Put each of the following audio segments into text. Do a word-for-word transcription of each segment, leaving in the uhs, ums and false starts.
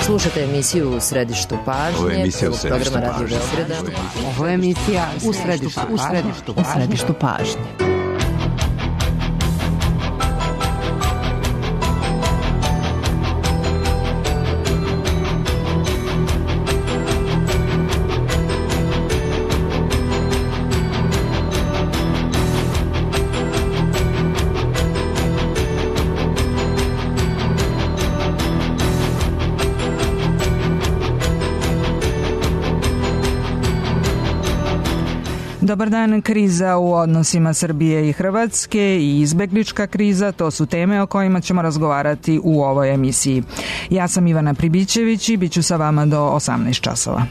Slušate emisiju U središtu pažnje, prvog programa Radio Beograda. Ovo je emisija U središtu, u središtu, u središtu pažnje. Dobar dan. Kriza u odnosima Srbije i Hrvatske i izbeglička kriza, to su teme o kojima ćemo razgovarati u ovoj emisiji. Ja sam Ivana Pribićević i bit ću sa vama do osamnaest časova.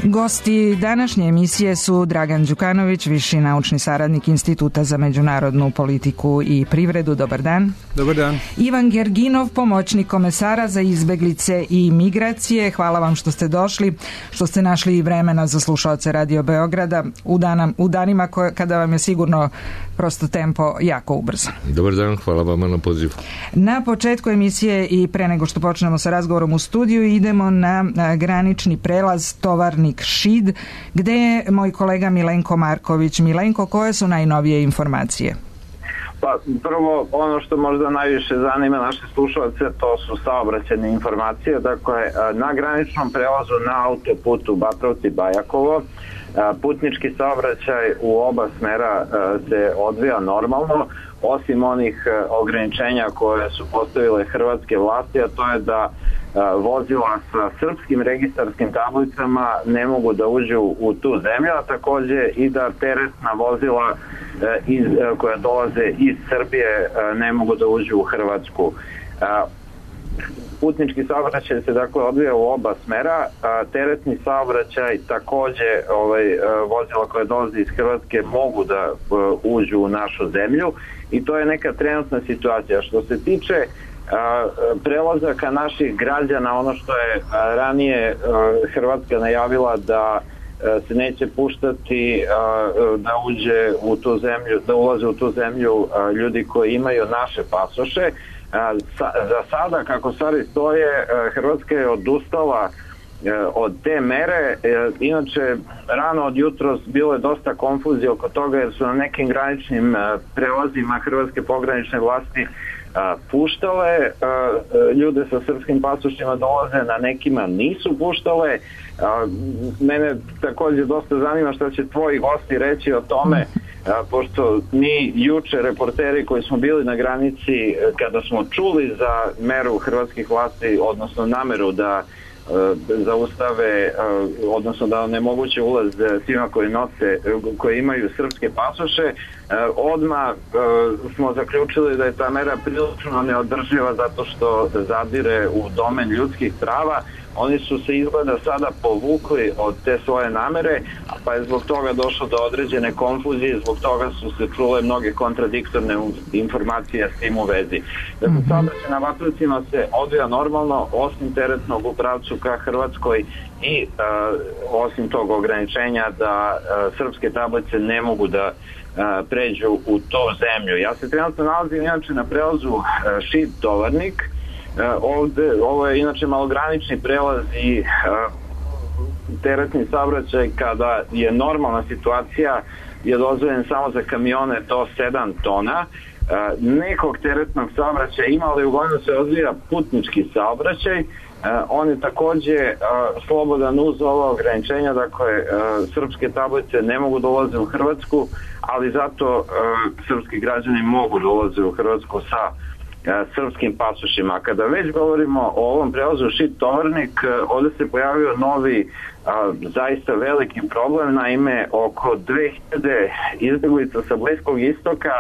Gosti današnje emisije su Dragan Đukanović, viši naučni saradnik Instituta za međunarodnu politiku i privredu. Dobar dan. Dobar dan. Ivan Gerginov, pomoćnik komesara za izbeglice i migracije. Hvala vam što ste došli, što ste našli vremena za slušaoce Radio Beograda u, dana, u danima koje, kada vam je sigurno prosto tempo jako ubrzan. Dobar dan, hvala vama na pozivu. Na početku emisije i pre nego što počnemo sa razgovorom u studiju idemo na granični prelaz Tovarnik Šid, gde je moj kolega Milenko Marković. Milenko, koje su najnovije informacije? Pa prvo, ono što možda najviše zanima naše slušalce, to su saobraćajne informacije. Dakle, na graničnom prelazu na autoputu Batrovci-Bajakovo putnički saobraćaj u oba smera se odvija normalno, osim onih ograničenja koje su postavile hrvatske vlasti, a to je da vozila sa srpskim registarskim tablicama ne mogu da uđu u tu zemlju, a takođe i da teretna vozila iz, koja dolaze iz Srbije ne mogu da uđu u Hrvatsku. Putnički saobraćaj se dakle odvija u oba smera, a teretni saobraćaj takođe ovaj, vozila koje dolaze iz Hrvatske mogu da uđu u našu zemlju i to je neka trenutna situacija. Što se tiče prelazaka naših građana, ono što je ranije Hrvatska najavila da se neće puštati da uđe u tu zemlju, da ulaze u tu zemlju ljudi koji imaju naše pasoše. Za sada, kako stvari stoje, Hrvatska je odustala od te mere. Inače, rano od jutros bilo je dosta konfuzije oko toga jer su na nekim graničnim prelazima hrvatske pogranične vlasti puštale ljude sa srpskim pasošima dolaze, na nekima nisu puštale. Mene takođe dosta zanima šta će tvoji gosti reći o tome, pošto mi juče reporteri koji smo bili na granici kada smo čuli za meru hrvatskih vlasti, odnosno nameru da zaustave, odnosno da onemoguće ulaz svima koji nose, koji imaju srpske pasoše, odmah smo zaključili da je ta mera prilično neodrživa zato što zadire u domen ljudskih prava. Oni su se izgleda sada povukli od te svoje namere, pa je zbog toga došlo do određene konfuzije, zbog toga su se čule mnoge kontradiktorne informacije s tim u vezi. Dakle, saobraćaj na Batrovcima se odvija normalno, osim teretnog u pravcu ka Hrvatskoj i uh, osim tog ograničenja da uh, srpske tablice ne mogu da uh, pređu u to zemlju. Ja se trenutno nalazim inače na prelazu uh, Šid-Tovarnik. Uh, ovde, ovo je inače malogranični prelaz i uh, teretni saobraćaj kada je normalna situacija je dozvoljen samo za kamione do sedam tona. Uh, nekog teretnog saobraćaja ima, ali uglavnom se odvija putnički saobraćaj. Uh, on je takođe uh, slobodan uz ova ograničenja, dakle uh, srpske tablice ne mogu dolaze u Hrvatsku, ali zato uh, srpski građani mogu dolaze u Hrvatsku sa srpskim pasošima. Kada već govorimo o ovom prelazu Šid-Tovarnik, ovde se pojavio novi a, zaista veliki problem, naime oko dve hiljade izbeglica sa Bliskog istoka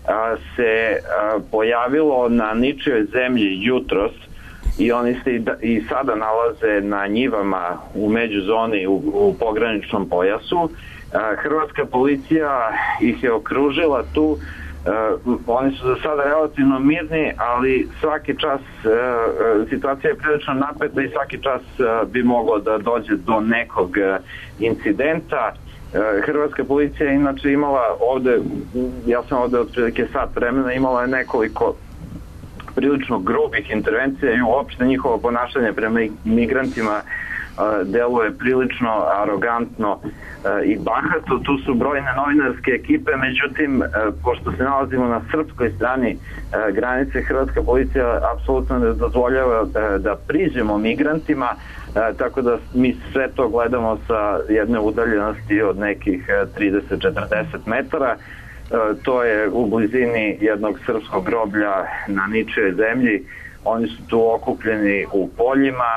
a, se a, pojavilo na ničijoj zemlji jutros i oni se i, da, i sada nalaze na njivama u međuzoni u, u pograničnom pojasu. Hrvatska policija ih je okružila tu. Uh, oni su za sada relativno mirni, ali svaki čas uh, situacija je prilično napeta i svaki čas uh, bi moglo da dođe do nekog uh, incidenta. Uh, Hrvatska policija je inače imala ovde, ja sam ovde otprilike sat vremena, imala je nekoliko prilično grubih intervencija i uopšte njihovo ponašanje prema migrantima deluje prilično arogantno i bahato. Tu su brojne novinarske ekipe, međutim, pošto se nalazimo na srpskoj strani granice, Hrvatska policija apsolutno ne dozvoljava da priđemo migrantima, tako da mi sve to gledamo sa jedne udaljenosti od nekih trideset do četrdeset metara. To je u blizini jednog srpskog groblja na ničijoj zemlji. Oni su tu okupljeni u poljima,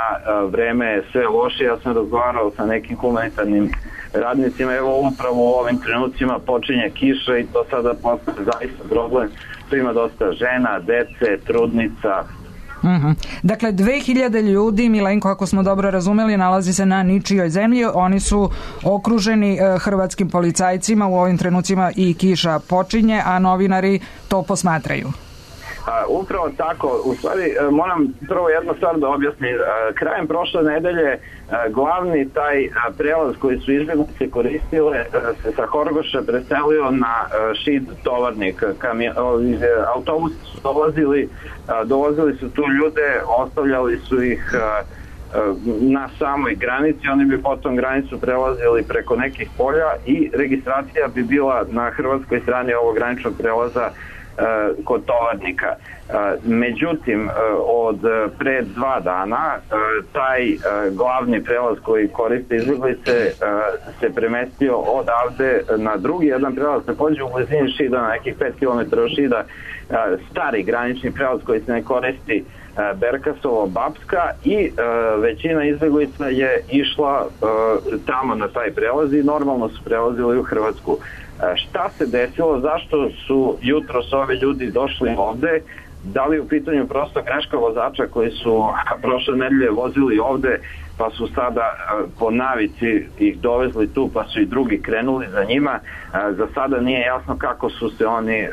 vreme je sve loše. Ja sam razgovarao sa nekim humanitarnim radnicima, evo upravo u ovim trenucima počinje kiša i to sada postaje zaista problem. Tu ima dosta žena, dece, trudnica. Mm-hmm. Dakle, dve hiljade ljudi, Milenko, ako smo dobro razumeli, nalazi se na ničijoj zemlji. Oni su okruženi e, hrvatskim policajcima, u ovim trenucima i kiša počinje, a novinari to posmatraju. A, upravo tako. U stvari, moram prvo jednu stvar da objasnim. Krajem prošle nedelje glavni taj prelaz koji su izbjeglice koristile se sa Horgoša preselio na Šid Tovarnik. Autobusi su dolazili, dolazili su tu ljude, ostavljali su ih na samoj granici, oni bi potom granicu prelazili preko nekih polja i registracija bi bila na hrvatskoj strani ovog graničnog prelaza kod Tovarnika. Međutim, od pre dva dana taj glavni prelaz koji koriste izbjeglice se premestio odavde na drugi jedan prelaz, takođe u blizini Šida, na nekih pet kilometara od Šida, stari granični prelaz koji se ne koristi, Berkasovo-Bapska, i većina izbjeglica je išla tamo na taj prelaz i normalno su prelazili u Hrvatsku. Šta se desilo, zašto su jutros ovi ljudi došli ovde, da li u pitanju prosto greška vozača koji su prošle nedelje vozili ovde pa su sada po navici ih dovezli tu pa su i drugi krenuli za njima. Za sada nije jasno kako su se oni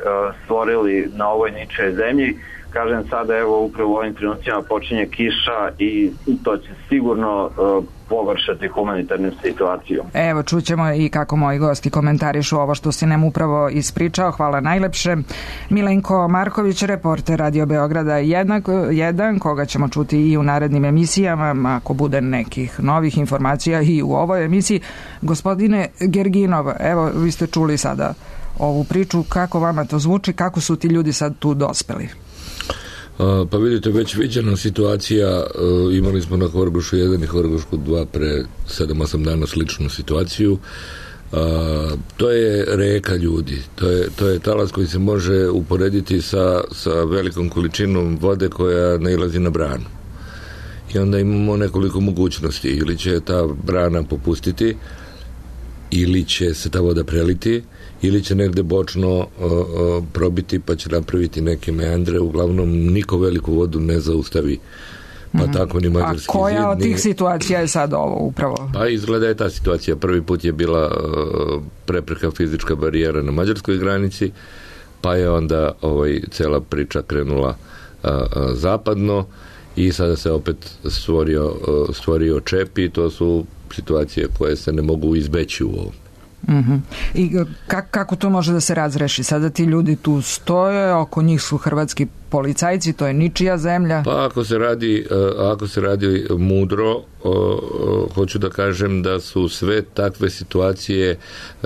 stvorili na ovoj ničoj zemlji. Kažem, sada evo upravo u ovim trenucima počinje kiša i to će sigurno uh, pogoršati humanitarnu situaciju. Evo, čućemo i kako moji gosti komentarišu ovo što si nam upravo ispričao. Hvala najlepše. Milenko Marković, reporter Radio Beograda jedan, koga ćemo čuti i u narednim emisijama, ako bude nekih novih informacija i u ovoj emisiji. Gospodine Gerginov, evo, vi ste čuli sada ovu priču, kako vama to zvuči, kako su ti ljudi sad tu dospeli? Pa vidite, već viđena situacija, imali smo na Horgošu jedan i Horgošku dva pre sedam osam dana sličnu situaciju. To je reka ljudi, to je, to je talas koji se može uporediti sa, sa velikom količinom vode koja nailazi na branu. I onda imamo nekoliko mogućnosti, ili će ta brana popustiti, ili će se ta voda preliti, ili će negde bočno uh, uh, probiti pa će napraviti neke meandre. Uglavnom niko veliku vodu ne zaustavi, pa mm-hmm. tako ni Mađarski zid. A koja zid, od tih situacija je sad ovo upravo? Pa izgleda je ta situacija. Prvi put je bila uh, prepreka fizička barijera na mađarskoj granici, pa je onda ovaj, cela priča krenula uh, uh, zapadno i sada se opet stvorio, uh, stvorio čep i to su situacije koje se ne mogu izbeći u ovom. Mm-hmm. I kak, kako to može da se razreši? Sada ti ljudi tu stoje, oko njih su hrvatski policajci, to je ničija zemlja. Pa ako se radi, ako se radi mudro, hoću da kažem da su sve takve situacije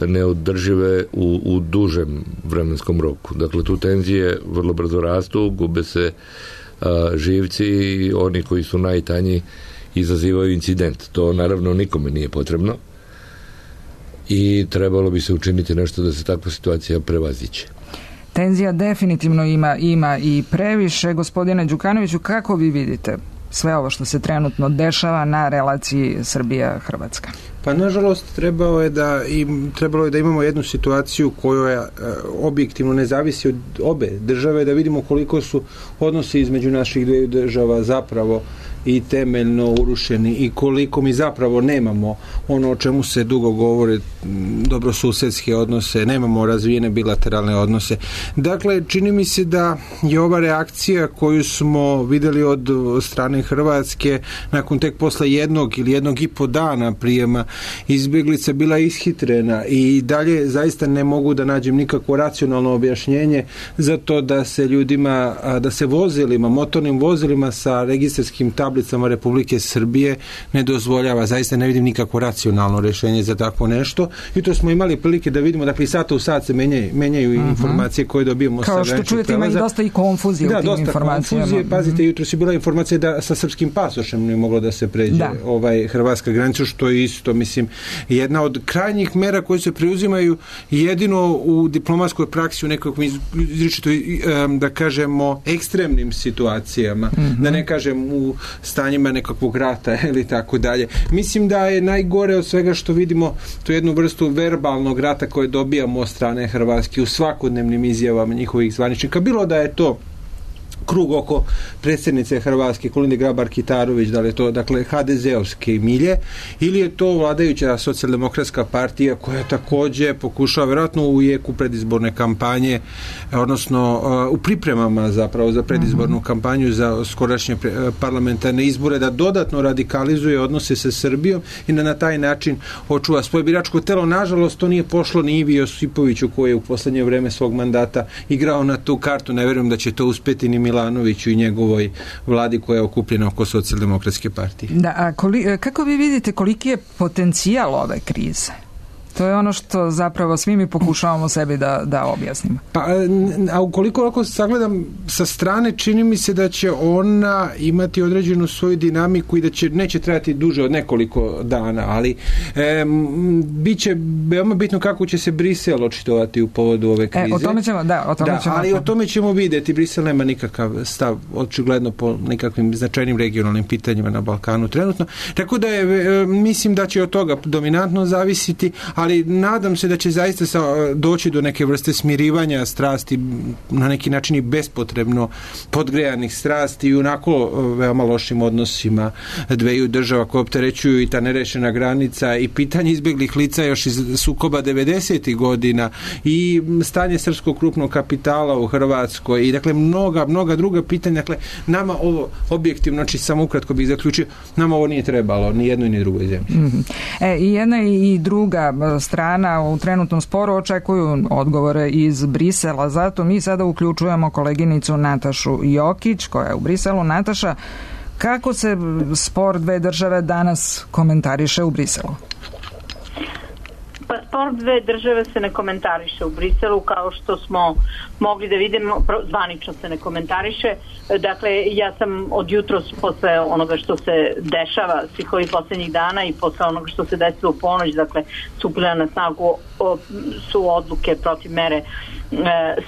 neodržive u, u dužem vremenskom roku. Dakle, tu tenzije vrlo brzo rastu, gube se živci i oni koji su najtanji izazivaju incident. To naravno nikome nije potrebno i trebalo bi se učiniti nešto da se takva situacija prevaziće. Tenzija definitivno ima, ima i previše. Gospodine Đukanoviću, kako vi vidite sve ovo što se trenutno dešava na relaciji Srbija-Hrvatska? Pa nažalost trebalo je da im, trebalo je da imamo jednu situaciju koja e, objektivno ne zavisi od obe države, da vidimo koliko su odnosi između naših dviju država zapravo i temeljno urušeni i koliko mi zapravo nemamo ono o čemu se dugo govori, dobrosusedske odnose, nemamo razvijene bilateralne odnose. Dakle, čini mi se da je ova reakcija koju smo videli od strane Hrvatske nakon tek posle jednog ili jednog i po dana prijema izbjeglica bila ishitrena i dalje zaista ne mogu da nađem nikakvo racionalno objašnjenje za to da se ljudima, da se vozilima, motornim vozilima sa registarskim tablicama Republike Srbije ne dozvoljava. Zaista ne vidim nikakvo racionalno rješenje za takvo nešto. I to smo imali prilike da vidimo, dakle, sata u sat se menjaju, menjaju uh-huh. informacije koje dobijemo sa graničnog prelaza. Kao što čujete, ima i dosta i konfuzije da, u tim informacijama. Da, dosta konfuzije. Pazite, uh-huh. jutro si bila informacija da sa srpskim pasošem ne moglo da se pređe da. ovaj hrvatska granica, što je isto, mislim, jedna od krajnjih mera koje se preuzimaju jedino u diplomatskoj praksi u nekakvom izričito, da kažemo, ekstremnim situacijama, uh-huh. da ne kažem u stanjima nekakvog rata ili tako dalje. Mislim da je najgore od svega što vidimo tu jednu vrstu verbalnog rata koje dobijamo od strane Hrvatske u svakodnevnim izjavama njihovih zvaničnika. Bilo da je to krug oko predsjednice Hrvatske Kolinde Grabar-Kitarović, da li je to, dakle, ha de ze-ovske milje, ili je to vladajuća socijaldemokratska partija koja također pokušava, vjerojatno u jeku predizborne kampanje, odnosno u pripremama zapravo za predizbornu mm-hmm. kampanju za skorašnje parlamentarne izbore, da dodatno radikalizuje odnose sa Srbijom i da na taj način očuva svoje biračko telo. Nažalost, to nije pošlo ni Ivi Josipoviću, koji je u posljednje vreme svog mandata igrao na tu kartu. Ne vjerujem da će to uspjeti ni Milanoviću i njegovoj vladi koja je okupljena oko socijaldemokratske partije. Da, a koli, kako vi vidite koliki je potencijal ove krize? To je ono što zapravo svi mi pokušavamo sebi da, da objasnimo. Pa, a ukoliko ako sagledam sa strane, čini mi se da će ona imati određenu svoju dinamiku i da će, neće trajati duže od nekoliko dana, ali e, bit će veoma bitno kako će se Brisel očitovati u povodu ove krize. E, o tome ćemo, da, o tome da, ćemo. Ali o tome ćemo vidjeti. Brisel nema nikakav stav, očigledno, po nekakvim značajnim regionalnim pitanjima na Balkanu trenutno. Tako da je, e, mislim da će od toga dominantno zavisiti, ali nadam se da će zaista sa, doći do neke vrste smirivanja strasti, na neki način i bespotrebno podgrejanih strasti i onako veoma lošim odnosima dveju država koje opterećuju i ta nerešena granica i pitanje izbjeglih lica još iz sukoba devedesetih godina i stanje srpskog krupnog kapitala u Hrvatskoj i dakle mnoga, mnoga druga pitanja. Dakle, nama ovo objektivno, znači samo ukratko bih zaključio, nama ovo nije trebalo ni jednoj ni drugoj zemlji. Mm-hmm. E, i jedna i druga strana u trenutnom sporu očekuju odgovore iz Brisela, zato mi sada uključujemo koleginicu Natašu Jokić koja je u Briselu. Nataša, kako se spor dve države danas komentariše u Briselu? Pa spor dve države se ne komentariše u Briselu, kao što smo mogli da vidimo, zvanično se ne komentariše. Dakle, ja sam od jutros posle onoga što se dešava svih ovih posljednjih dana i posle onoga što se desilo u ponoć, dakle, stupile na snagu o, su odluke protiv mere e,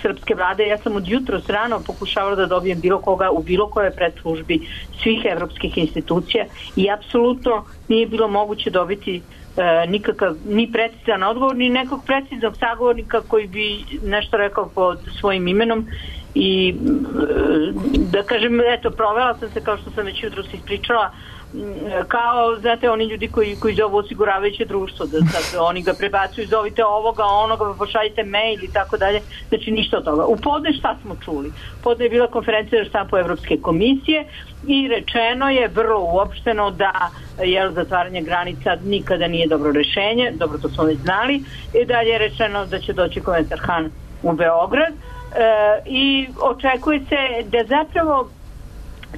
srpske vlade. Ja sam od jutros rano pokušavala da dobijem bilo koga u bilo koje predslužbi svih evropskih institucija i apsolutno nije bilo moguće dobiti E, nikakav, ni precizan odgovor, ni nekog preciznog sagovornika koji bi nešto rekao pod svojim imenom i e, da kažem, eto, provela sam se, kao što sam već jutros ispričala, kao, znate, oni ljudi koji, koji zovu osiguravajuće društvo, da sad oni ga prebacuju, zovite ovoga, onoga, pošaljite mail i tako dalje, znači ništa od toga. U podne šta smo čuli? Podne je bila konferencija za štampu Evropske komisije i rečeno je vrlo uopšteno da je zatvaranje granica nikada nije dobro rešenje, dobro, to smo već znali, i dalje je rečeno da će doći komesar Han u Beograd e, i očekuje se da zapravo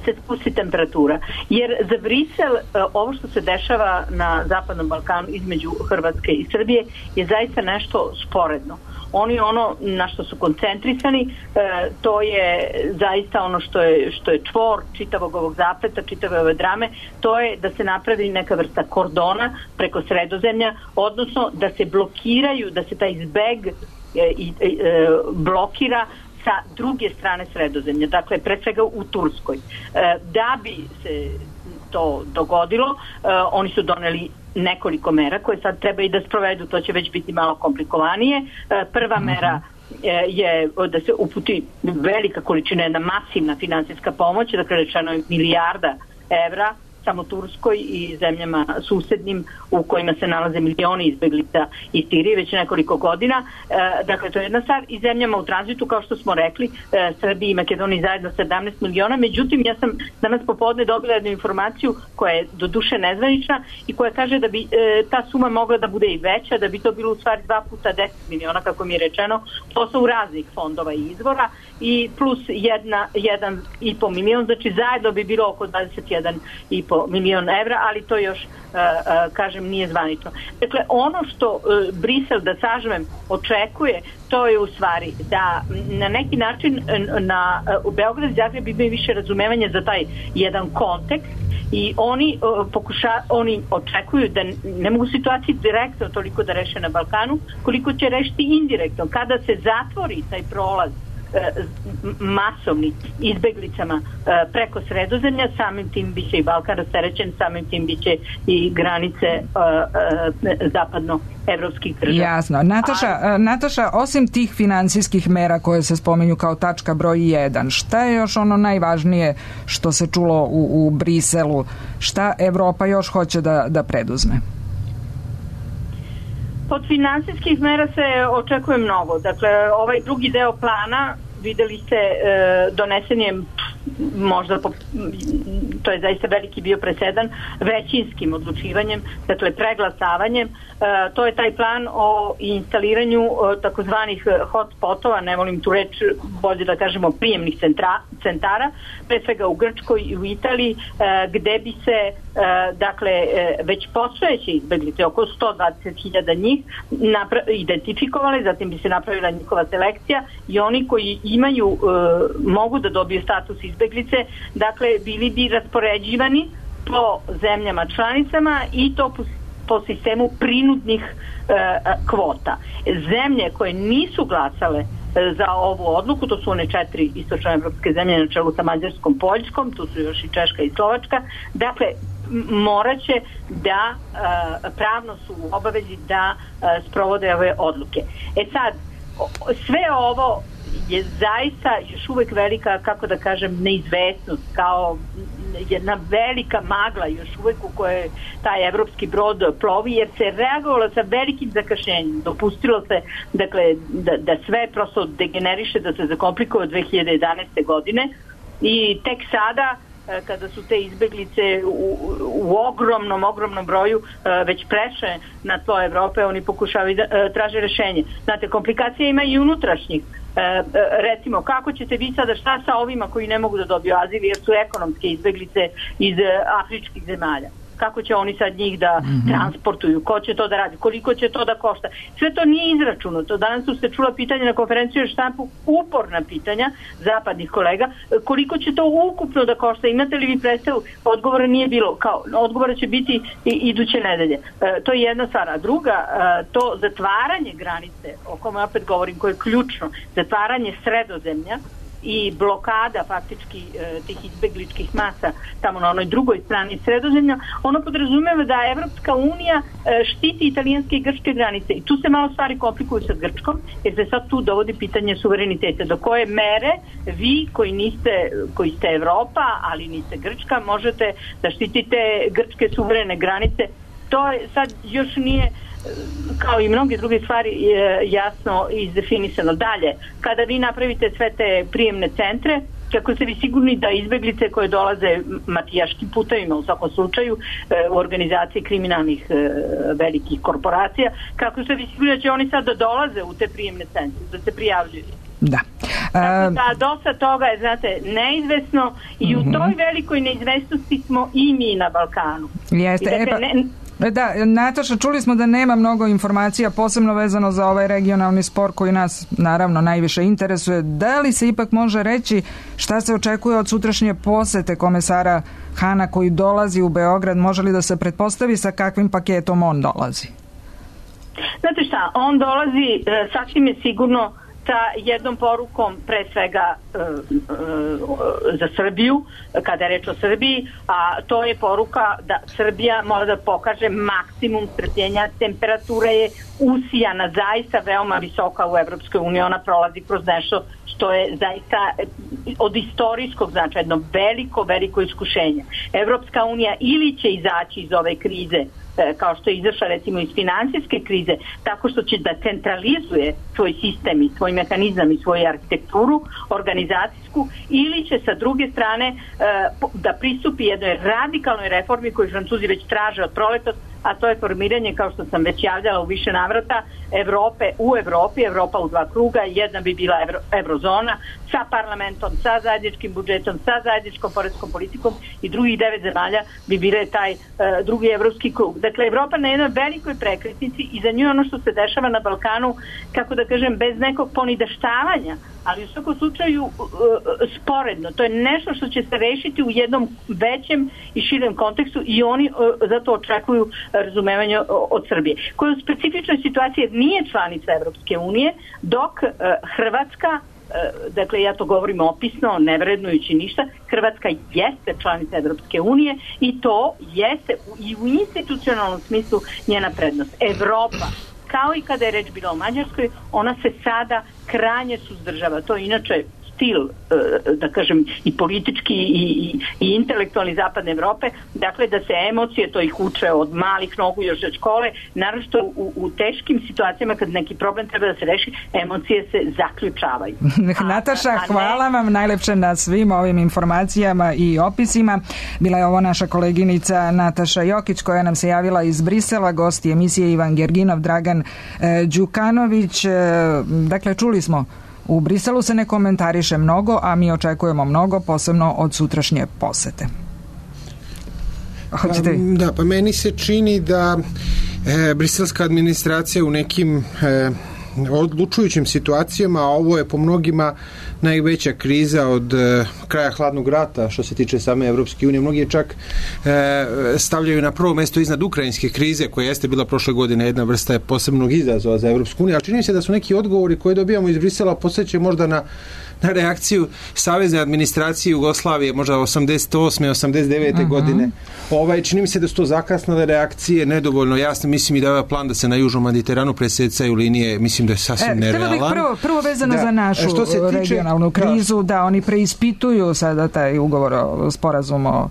se spusti temperatura. Jer za Brisel ovo što se dešava na Zapadnom Balkanu između Hrvatske i Srbije je zaista nešto sporedno. Oni ono na što su koncentrisani, to je zaista ono što je, što je čvor čitavog ovog zapleta, čitave ove drame, to je da se napravi neka vrsta kordona preko Sredozemlja, odnosno da se blokiraju, da se taj zbeg i blokira sa druge strane Sredozemlja, dakle pre svega u Turskoj. Da bi se to dogodilo, oni su doneli nekoliko mera koje sad treba i da sprovedu, to će već biti malo komplikovanije. Prva mera je da se uputi velika količina, jedna masivna finansijska pomoć, dakle rečeno je milijarda evra samo Turskoj i zemljama susednim u kojima se nalaze milioni izbeglica iz Sirije već nekoliko godina. E, dakle, to je jedna stvar. I zemljama u tranzitu, kao što smo rekli, e, Srbiji i Makedoniji zajedno sedamnaest miliona. Međutim, ja sam danas popodne dobila jednu informaciju koja je do duše nezvanična i koja kaže da bi e, ta suma mogla da bude i veća, da bi to bilo u stvari dva puta deset miliona, kako mi je rečeno, posao raznih fondova i izvora i plus jedna, jedan i po milion, znači zajedno bi bilo oko dvadeset jedan i po milion evra, ali to još, uh, uh, kažem, nije zvanično. Dakle, ono što uh, Brisel, da sažmem, očekuje, to je u stvari da na neki način na, u Beograd i Zagreb imaju više razumevanja za taj jedan kontekst i oni, uh, pokuša, oni očekuju da ne mogu situaciju direktno toliko da reše na Balkanu, koliko će rešiti indirektno. Kada se zatvori taj prolaz masovni izbeglicama preko Sredozemlja, samim tim biće i Balkan rasterećen, samim tim biće i granice zapadno-evropskih država. Jasno. Nataša, A... Nataša, osim tih finansijskih mera koje se spominju kao tačka broj jedan, šta je još ono najvažnije što se čulo u, u Briselu? Šta Evropa još hoće da, da preduzme? Od finansijskih mera se očekuje mnogo. Dakle, ovaj drugi deo plana, videli ste, e, donesen je možda, po, to je zaista veliki bio presedan, većinskim odlučivanjem, dakle preglasavanjem. E, to je taj plan o instaliranju e, takozvanih hotspotova, ne volim tu reč, bolje da kažemo prijemnih centra, centara, pre svega u Grčkoj i u Italiji, e, gde bi se e, dakle e, već postojeće izbeglice, oko sto dvadeset hiljada njih, napra- identifikovali, zatim bi se napravila njihova selekcija i oni koji imaju, e, mogu da dobiju status izbeglice, dakle bili bi raspoređivani po zemljama članicama i to po, po sistemu prinudnih e, kvota. Zemlje koje nisu glasale za ovu odluku, to su one četiri istočnoevropske zemlje na čelu sa Mađarskom, Poljskom, tu su još i Češka i Slovačka, dakle moraće da e, pravno su u obavezi da e, sprovode ove odluke. E sad, sve ovo je zaista još uvek velika, kako da kažem, neizvesnost, kao jedna velika magla još uvek u kojoj taj evropski brod plovi, jer se reagovalo sa velikim zakašnjenjem. Dopustilo se, dakle, da, da sve prosto degeneriše, da se zakomplikuje od dve hiljade jedanaeste. godine i tek sada, kada su te izbeglice u, u ogromnom, ogromnom broju već prešle na tlo Evrope, oni pokušavaju da traže rešenje. Znate, komplikacija ima i unutrašnjih. E, recimo, kako ćete vi sada, šta sa ovima koji ne mogu da dobiju azil jer su ekonomske izbeglice iz afričkih zemalja? Kako će oni sad njih da mm-hmm. transportuju? Ko će to da radi? Koliko će to da košta? Sve to nije izračunato. Danas su se čula pitanja na konferenciju u štampu, uporna pitanja zapadnih kolega. Koliko će to ukupno da košta? Imate li vi predstavu? Odgovora nije bilo. Kao, odgovora će biti i iduće nedelje. E, to je jedna stvar. A druga, e, to zatvaranje granice, o kome opet govorim, koje je ključno, zatvaranje Sredozemlja i blokada faktički e, tih izbegličkih masa tamo na onoj drugoj strani Sredozemlja, ono podrazumeva da Evropska unija e, štiti italijanske i grčke granice i tu se malo stvari komplikuju sa Grčkom, jer se sad tu dovodi pitanje suvereniteta. Do koje mere vi koji niste, koji ste Evropa, ali niste Grčka, možete da štitite grčke suverene granice? To je sad još nije, kao i mnoge druge stvari, jasno izdefinisano. Dalje, kada vi napravite sve te prijemne centre, kako ste vi sigurni da izbeglice koje dolaze mafijaškim putevima, u svakom slučaju u organizaciji kriminalnih velikih korporacija, kako ste vi sigurni da će oni sad da dolaze u te prijemne centre, da se prijavljuju? Da. Dakle, da, dosta toga je, znate, neizvesno i u toj velikoj neizvesnosti smo i mi na Balkanu. Jeste, dakle, e pa... ne, Da, Nataša, čuli smo da nema mnogo informacija, posebno vezano za ovaj regionalni spor koji nas naravno najviše interesuje. Da li se ipak može reći šta se očekuje od sutrašnje posete komesara Hana koji dolazi u Beograd? Može li da se pretpostavi sa kakvim paketom on dolazi? Znate šta, on dolazi, sasvim je sigurno sa jednom porukom pre svega e, e, za Srbiju, kada je reč o Srbiji, a to je poruka da Srbija mora da pokaže maksimum strpljenja, temperatura je usijana, zaista veoma visoka u Evropskoj uniji, ona prolazi kroz nešto što je zaista od istorijskog značaja jedno veliko, veliko iskušenje. Evropska unija ili će izaći iz ove krize kao što je izašla recimo iz finansijske krize, tako što će da centralizuje svoj sistem i svoj mehanizam i svoju arhitekturu organizacijsku, ili će sa druge strane da pristupi jednoj radikalnoj reformi koju Francuzi već traže od proletos, a to je formiranje, kao što sam već javljala u više navrata, Evrope u Evropi, Evropa u dva kruga, jedna bi bila evro, eurozona sa parlamentom, sa zajedničkim budžetom, sa zajedničkom poreskom politikom, i drugih devet zemalja bi bile taj uh, drugi evropski krug. Dakle, Evropa na jednoj velikoj prekretnici i za nju ono što se dešava na Balkanu, kako da kažem, bez nekog ponidaštavanja, ali u svakom slučaju uh, sporedno. To je nešto što će se rešiti u jednom većem i širem kontekstu i oni uh, zato očekuju razumevanje od Srbije, koja u specifičnoj situaciji nije članica Evropske unije, dok uh, Hrvatska, uh, dakle ja to govorim opisno, ne vrednujući ništa, Hrvatska jeste članica Evropske unije i to jeste i u institucionalnom smislu njena prednost. Evropa, kao i kada je reč bila o Mađarskoj, ona se sada krajnje suzdržava. To je inače stil, da kažem, i politički i, i, i intelektualni zapadne Evrope, dakle da se emocije, to ih uče od malih nogu još od škole, naročito u, u teškim situacijama kad neki problem treba da se reši, emocije se zaključavaju. Nataša, a, a ne... hvala vam najlepše na svim ovim informacijama i opisima. Bila je ovo naša koleginica Nataša Jokić, koja nam se javila iz Brisela, gosti emisije Ivan Gerginov, Dragan e, Đukanović. E, dakle, čuli smo, u Briselu se ne komentariše mnogo, a mi očekujemo mnogo, posebno od sutrašnje posete. Hoćete vi? Da, pa meni se čini da e, briselska administracija u nekim e, odlučujućim situacijama, a ovo je po mnogima najveća kriza od e, kraja hladnog rata što se tiče same Evropske unije. Mnogi je čak e, stavljaju na prvo mesto iznad ukrajinske krize, koja jeste bila prošle godine jedna vrsta posebnog izazova za Evropsku uniju, ali čini se da su neki odgovori koje dobijamo iz Brisela posjećaju možda na na reakciju savezne administracije Jugoslavije, možda osamdeset osme osamdeset devete Uh-huh. godine. Ovaj, čini mi se da su to zakasnale reakcije, nedovoljno jasno. Mislim i da je ovaj plan da se na Južnom Mediteranu presecaju linije, mislim da je sasvim e, nerealan. Prvo, prvo vezano da. za našu što se tiče, regionalnu krizu, da. da oni preispituju sada taj ugovor o sporazumu o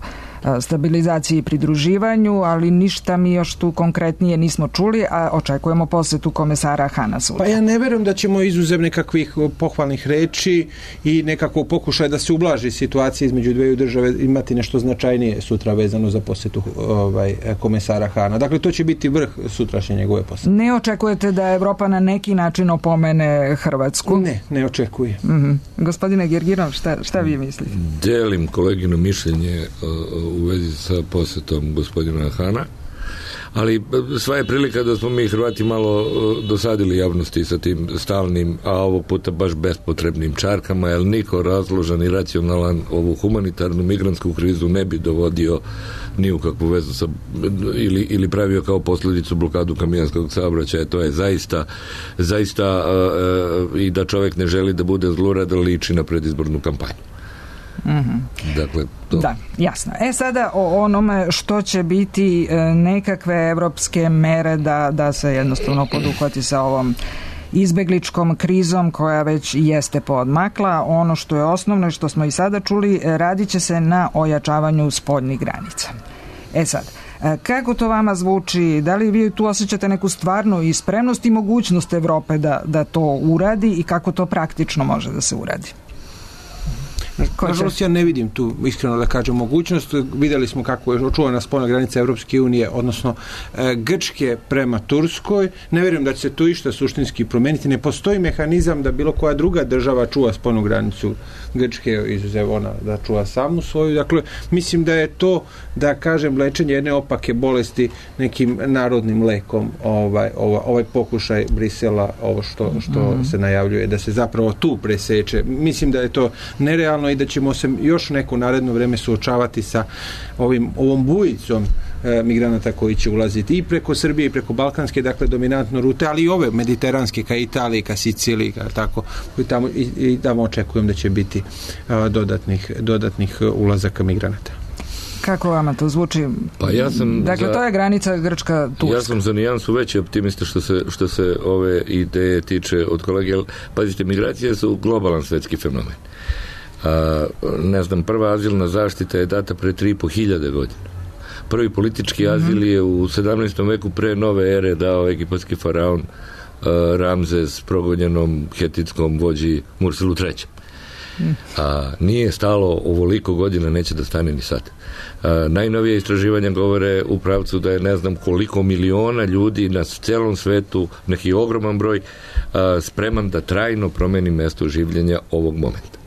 stabilizaciji i pridruživanju, ali ništa mi još tu konkretnije nismo čuli, a očekujemo posetu komesara Hana sutra. Pa ja ne verujem da ćemo izuzev nekakvih pohvalnih reči i nekakvog pokušaja da se ublaži situacija između dveju države imati nešto značajnije sutra vezano za posetu ovaj, komesara Hana. Dakle, to će biti vrh sutrašnje njegove posete. Ne očekujete da Evropa na neki način opomene Hrvatsku? Ne, ne očekuje. Mm-hmm. Gospodine Gerginov, šta, šta vi mislite? Delim kolegino mišljenje u vezi sa posetom gospodina Hana, ali sva je prilika da smo mi Hrvati malo dosadili javnosti sa tim stalnim, a ovog puta baš bespotrebnim čarkama, jer niko razložan i racionalan ovu humanitarnu migrantsku krizu ne bi dovodio ni u kakvu vezu sa, ili, ili pravio kao posljedicu blokadu kamijanskog saobraćaja. To je zaista zaista uh, i da čovjek ne želi da bude zlurad, liči na predizbornu kampanju. Mm-hmm. Dakle, to. Da, jasno. E sada o onome što će biti e, nekakve evropske mere da, da se jednostavno poduhvati sa ovom izbegličkom krizom koja već jeste poodmakla. Ono što je osnovno i što smo i sada čuli, radit će se na ojačavanju spoljnih granica. E sad, kako to vama zvuči? Da li vi tu osjećate neku stvarnu i spremnost i mogućnost Evrope da, da to uradi i kako to praktično može da se uradi? Nažalost, ja ne vidim tu, iskreno da kažem, mogućnost. Vidjeli smo kako je očuvana spoljna granica Evropske unije, odnosno e, Grčke prema Turskoj. Ne vjerujem da će se tu išta suštinski promijeniti. Ne postoji mehanizam da bilo koja druga država čuva spoljnu granicu Grčke, izuzev ona da čuva samu svoju. Dakle, mislim da je to, da kažem, lečenje jedne opake bolesti nekim narodnim lekom, ovaj, ovaj, ovaj pokušaj Brisela, ovo što, što mm-hmm. se najavljuje, da se zapravo tu preseče. Mislim da je to nerealno i da ćemo se još neko naredno vreme suočavati sa ovim, ovom bujicom e, migranata koji će ulaziti i preko Srbije i preko balkanske, dakle dominantno rute, ali i ove mediteranske ka Italiji, ka Siciliji, ka tako, koji tamo i, i tamo očekujem da će biti a, dodatnih, dodatnih ulazaka migranata. Kako vama to zvuči? Pa ja sam dakle, za, to je granica Grčka-Turska. Ja sam za nijansu veći optimista što se, što se ove ideje tiče od kolege. Pazite, migracije su globalan svetski fenomen. A, ne znam, prva azilna zaštita je data pre tri i po hiljade godina. Prvi politički azil je u sedamnaestom veku pre nove ere dao egipatski faraon a, Ramzes progonjenom hetitskom vođi Murselu trećem. A, nije stalo ovoliko godina, neće da stane ni sad. A, najnovije istraživanja govore u pravcu da je ne znam koliko miliona ljudi na celom svetu, neki ogroman broj, a, spreman da trajno promeni mesto življenja ovog momenta.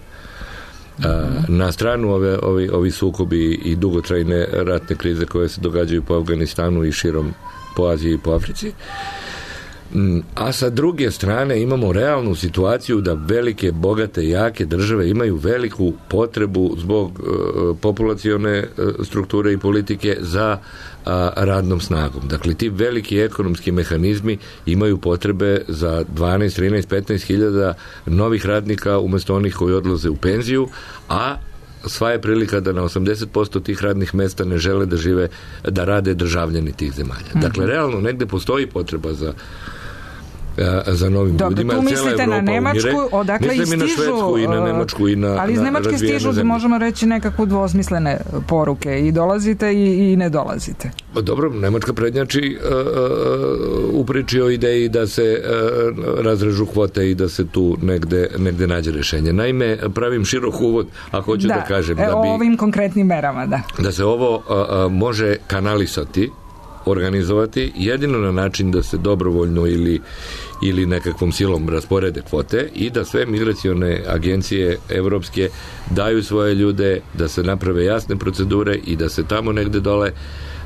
A, na stranu ove, ovi, ovi sukobi i dugotrajne ratne krize koje se događaju po Afganistanu i širom po Aziji i po Africi, a sa druge strane imamo realnu situaciju da velike, bogate, jake države imaju veliku potrebu zbog uh, populacione uh, strukture i politike za uh, radnom snagom. Dakle, ti veliki ekonomski mehanizmi imaju potrebe za dvanaest, trinaest, petnaest hiljada novih radnika umjesto onih koji odlaze u penziju, a sva je prilika da na osamdeset posto tih radnih mesta ne žele da žive, da rade državljani tih zemalja. Dakle, realno negde postoji potreba za za novim Dobro, ljudima. Tu mislite na Nemačku, umire, odakle i stižu, na Švedsku i na Nemačku i na, ali iz Nemačke stižu, zemlje. Možemo reći, nekakvu dvosmislene poruke i dolazite i, i ne dolazite. Dobro, Nemačka prednjači uh, uh, u priči o ideji da se uh, razrežu kvote i da se tu negde, negde nađe rešenje. Naime, pravim širok uvod, a hoću da, da kažem da bi, o ovim konkretnim merama, da. Da se ovo uh, uh, može kanalisati, organizovati jedino na način da se dobrovoljno ili, ili nekakvom silom rasporede kvote i da sve migracione agencije evropske daju svoje ljude, da se naprave jasne procedure i da se tamo negde dole,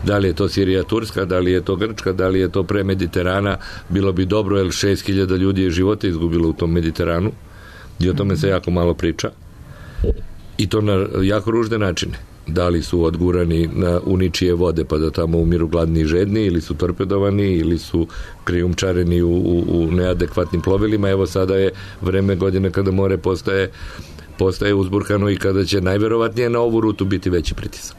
da li je to Sirija, Turska, da li je to Grčka, da li je to pre Mediterana, bilo bi dobro, jer šest hiljada ljudi je života izgubilo u tom Mediteranu i o tome se jako malo priča i to na jako ružne načine. Da li su odgurani na uničije vode pa da tamo umiru gladni i žedni, ili su torpedovani, ili su krijumčareni u, u, u neadekvatnim plovilima. Evo sada je vreme godine kada more postaje, postaje uzburkano i kada će najverovatnije na ovu rutu biti veći pritisak.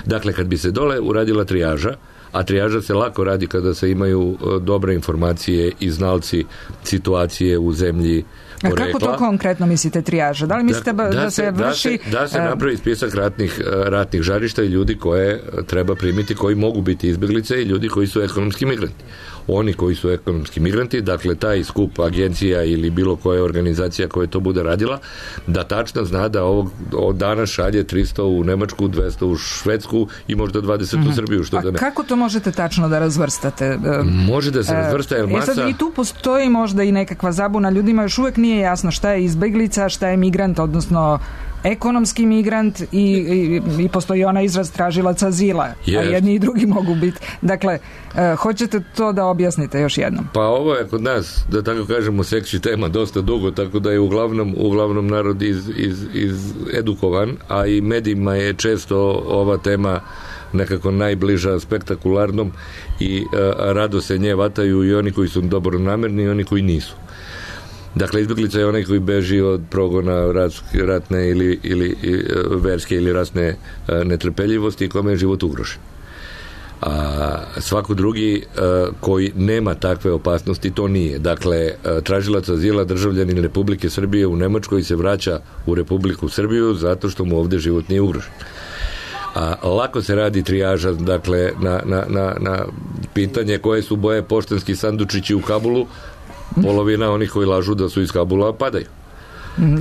Dakle, kad bi se dole uradila trijaža, a trijaža se lako radi kada se imaju dobre informacije i znalci situacije u zemlji porekla. A kako to konkretno mislite trijaža? Da li mislite da, da, da se vrši... Da se, da se napravi spisak ratnih, ratnih žarišta i ljudi koje treba primiti, koji mogu biti izbjeglice i ljudi koji su ekonomski migranti. Oni koji su ekonomski migranti, dakle taj skup agencija ili bilo koja organizacija koja to bude radila, da tačno zna da ovog od dana šalje tristo u Nemačku, dvesta u Švedsku i možda dvadeset mm-hmm. u Srbiju. Što A da ne... kako to možete tačno da razvrstate? Može da se razvrsta, jer masa... E sad, i tu postoji možda i nekakva zabuna. Ljudima još uvijek nije jasno šta je izbeglica, šta je migrant, odnosno ekonomski migrant i, i, i postoji ona izraz tražilac azila, yes. A jedni i drugi mogu biti. Dakle, e, hoćete to da objasnite još jednom? Pa ovo je kod nas, da tako kažemo, seksi tema dosta dugo, tako da je uglavnom, uglavnom narod iz, iz, iz edukovan, a i medijima je često ova tema nekako najbliža spektakularnom i e, rado se nje vataju i oni koji su dobronamerni i oni koji nisu. Dakle, izbjeglica je onaj koji beži od progona ratne ili, ili verske ili rasne netrpeljivosti i kome je život ugrožen. A svako drugi a, koji nema takve opasnosti, to nije. Dakle, a, tražilac azila, državljanin Republike Srbije u Nemačkoj se vraća u Republiku Srbiju zato što mu ovde život nije ugrožen. A lako se radi trijaža, dakle, na, na, na, na pitanje koje su boje poštanski sandučići u Kabulu. Polovina onih koji lažu da su iz Kabula padaju.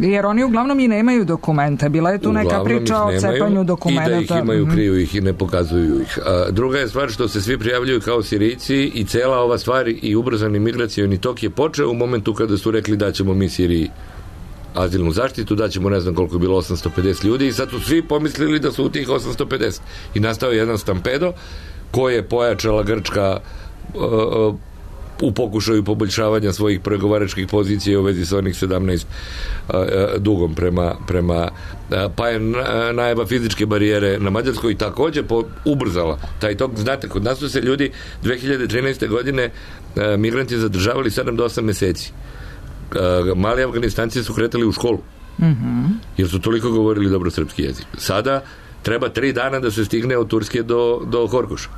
Jer oni uglavnom i nemaju dokumente. Bila je tu uglavnom neka priča o cepanju dokumenta. I da ih imaju, kriju ih i ne pokazuju ih. A druga je stvar što se svi prijavljuju kao Sirijci i cela ova stvar i ubrzani migracioni tok je počeo u momentu kada su rekli da ćemo mi Siriji azilnu zaštitu, da ćemo ne znam koliko je bilo osamsto pedeset ljudi i sad su svi pomislili da su u tih osamsto pedeset. I nastao je jedan stampedo koji je pojačala Grčka uh, u pokušaju poboljšavanja svojih pregovaračkih pozicija u vezi sa onih sedamnaest dugom prema, prema pa je najava fizičke barijere na Mađarskoj također po, ubrzala taj tok. Znate, kod nas su se ljudi dve hiljade trinaeste godine migranti zadržavali sedam do osam meseci. Mali Afganistanci su kretali u školu. Mm-hmm. Jer su toliko govorili dobro srpski jezik. Sada treba tri dana da se stigne od Turske do, do Horgoša.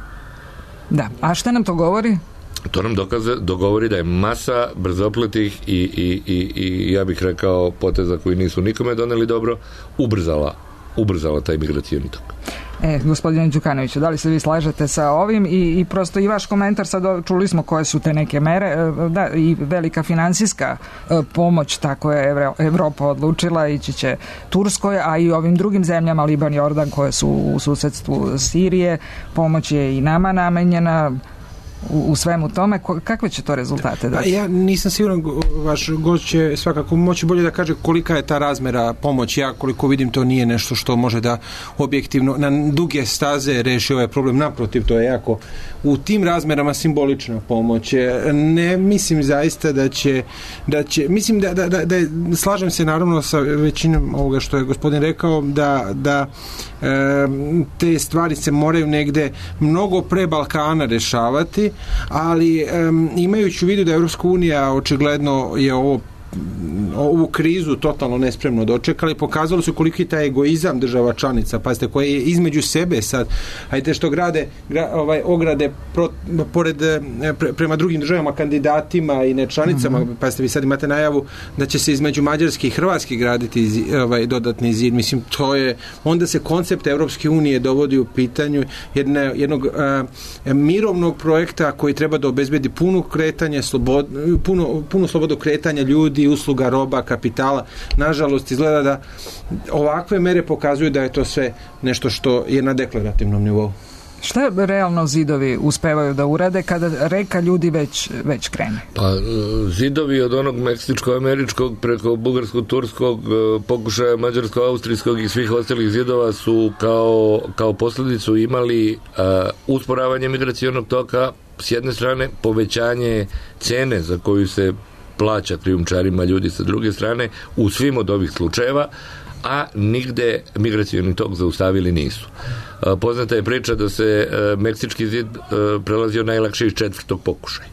Da, a šta nam to govori? To nam dokaze, dogovori da je masa brzopletih i, i, i, i ja bih rekao poteza koji nisu nikome doneli dobro, ubrzala, ubrzala taj migracijni tok. E, gospodine Đukanoviću, da li se vi slažete sa ovim i, i prosto i vaš komentar, sad čuli smo koje su te neke mere, da, i velika finansijska pomoć, tako je Evro, Evropa odlučila, ići će Turskoj, a i ovim drugim zemljama, Liban i Jordan, koje su u susedstvu Sirije, pomoć je i nama namenjena. U, u svemu tome, kakve će to rezultate dati? Ja nisam siguran, vaš gost će svakako moći bolje da kaže kolika je ta razmera pomoći. Ja koliko vidim, to nije nešto što može da objektivno na duge staze reši ovaj problem. Naprotiv, to je jako u tim razmerama simbolična pomoć. Ne mislim zaista da će, da će mislim da, da, da, da je, slažem se naravno sa većinom ovoga što je gospodin rekao, da, da e, te stvari se moraju negde mnogo pre Balkana rešavati, ali um, imajući u vidu da Evropska unija očigledno je ovo ovu krizu totalno nespremno dočekali, pokazalo su koliki je taj egoizam država članica, pazite, koje je između sebe sad, hajde što grade gra, ovaj, ograde pro, pored, pre, prema drugim državama, kandidatima i nečlanicama, mm-hmm. pazite, vi sad imate najavu da će se između Mađarske i Hrvatske graditi ovaj, dodatni zid, mislim, to je, onda se koncept Evropske unije dovodi u pitanju jedne, jednog a, mirovnog projekta koji treba da obezbedi puno kretanje, slobod, puno, puno slobodu kretanja ljudi, usluga, roba, kapitala. Nažalost, izgleda da ovakve mere pokazuju da je to sve nešto što je na deklarativnom nivou. Šta realno zidovi uspevaju da urade kada reka ljudi već, već krene? Pa zidovi od onog meksičko-američkog preko bugarsko-turskog pokušaja mađarsko-austrijskog i svih ostalih zidova su kao, kao posljedicu imali uh, usporavanje migracionog toka s jedne strane, povećanje cene za koju se plaća krijumčarima ljudi sa druge strane u svim od ovih slučajeva, a nigde migracioni tok zaustavili nisu. Poznata je priča da se Meksički zid prelazio najlakše iz četvrtog pokušaja.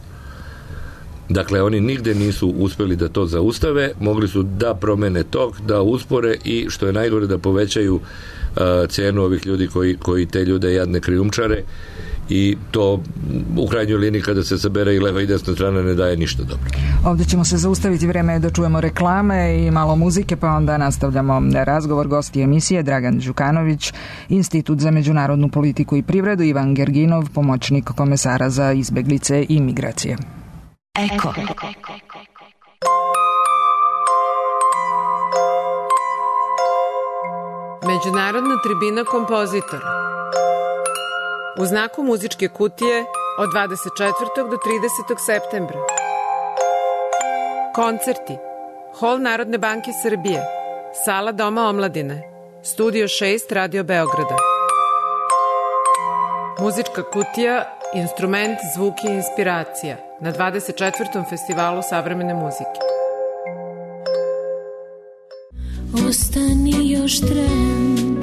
Dakle, oni nigde nisu uspeli da to zaustave, mogli su da promene tok, da uspore i, što je najgore, da povećaju cenu ovih ljudi koji, koji te ljude jadne krijumčare, i to u krajnjoj liniji kada se sabere i leva i desna strana ne daje ništa dobro. Ovdje ćemo se zaustaviti, vrijeme je da čujemo reklame i malo muzike, pa onda nastavljamo razgovor. Gosti emisije Dragan Đukanović, Institut za međunarodnu politiku i privredu, Ivan Gerginov, pomoćnik komesara za izbeglice i migracije. Eko. Međunarodna tribina kompozitora. U znaku muzičke kutije od dvadeset četvrtog do tridesetog septembra. Koncerti. Hol Narodne banke Srbije, Sala Doma omladine, Studio šest Radio Beograda. Muzička kutija, instrument, zvuk i inspiracija na dvadeset četvrtom festivalu savremene muzike. Ostani još tren,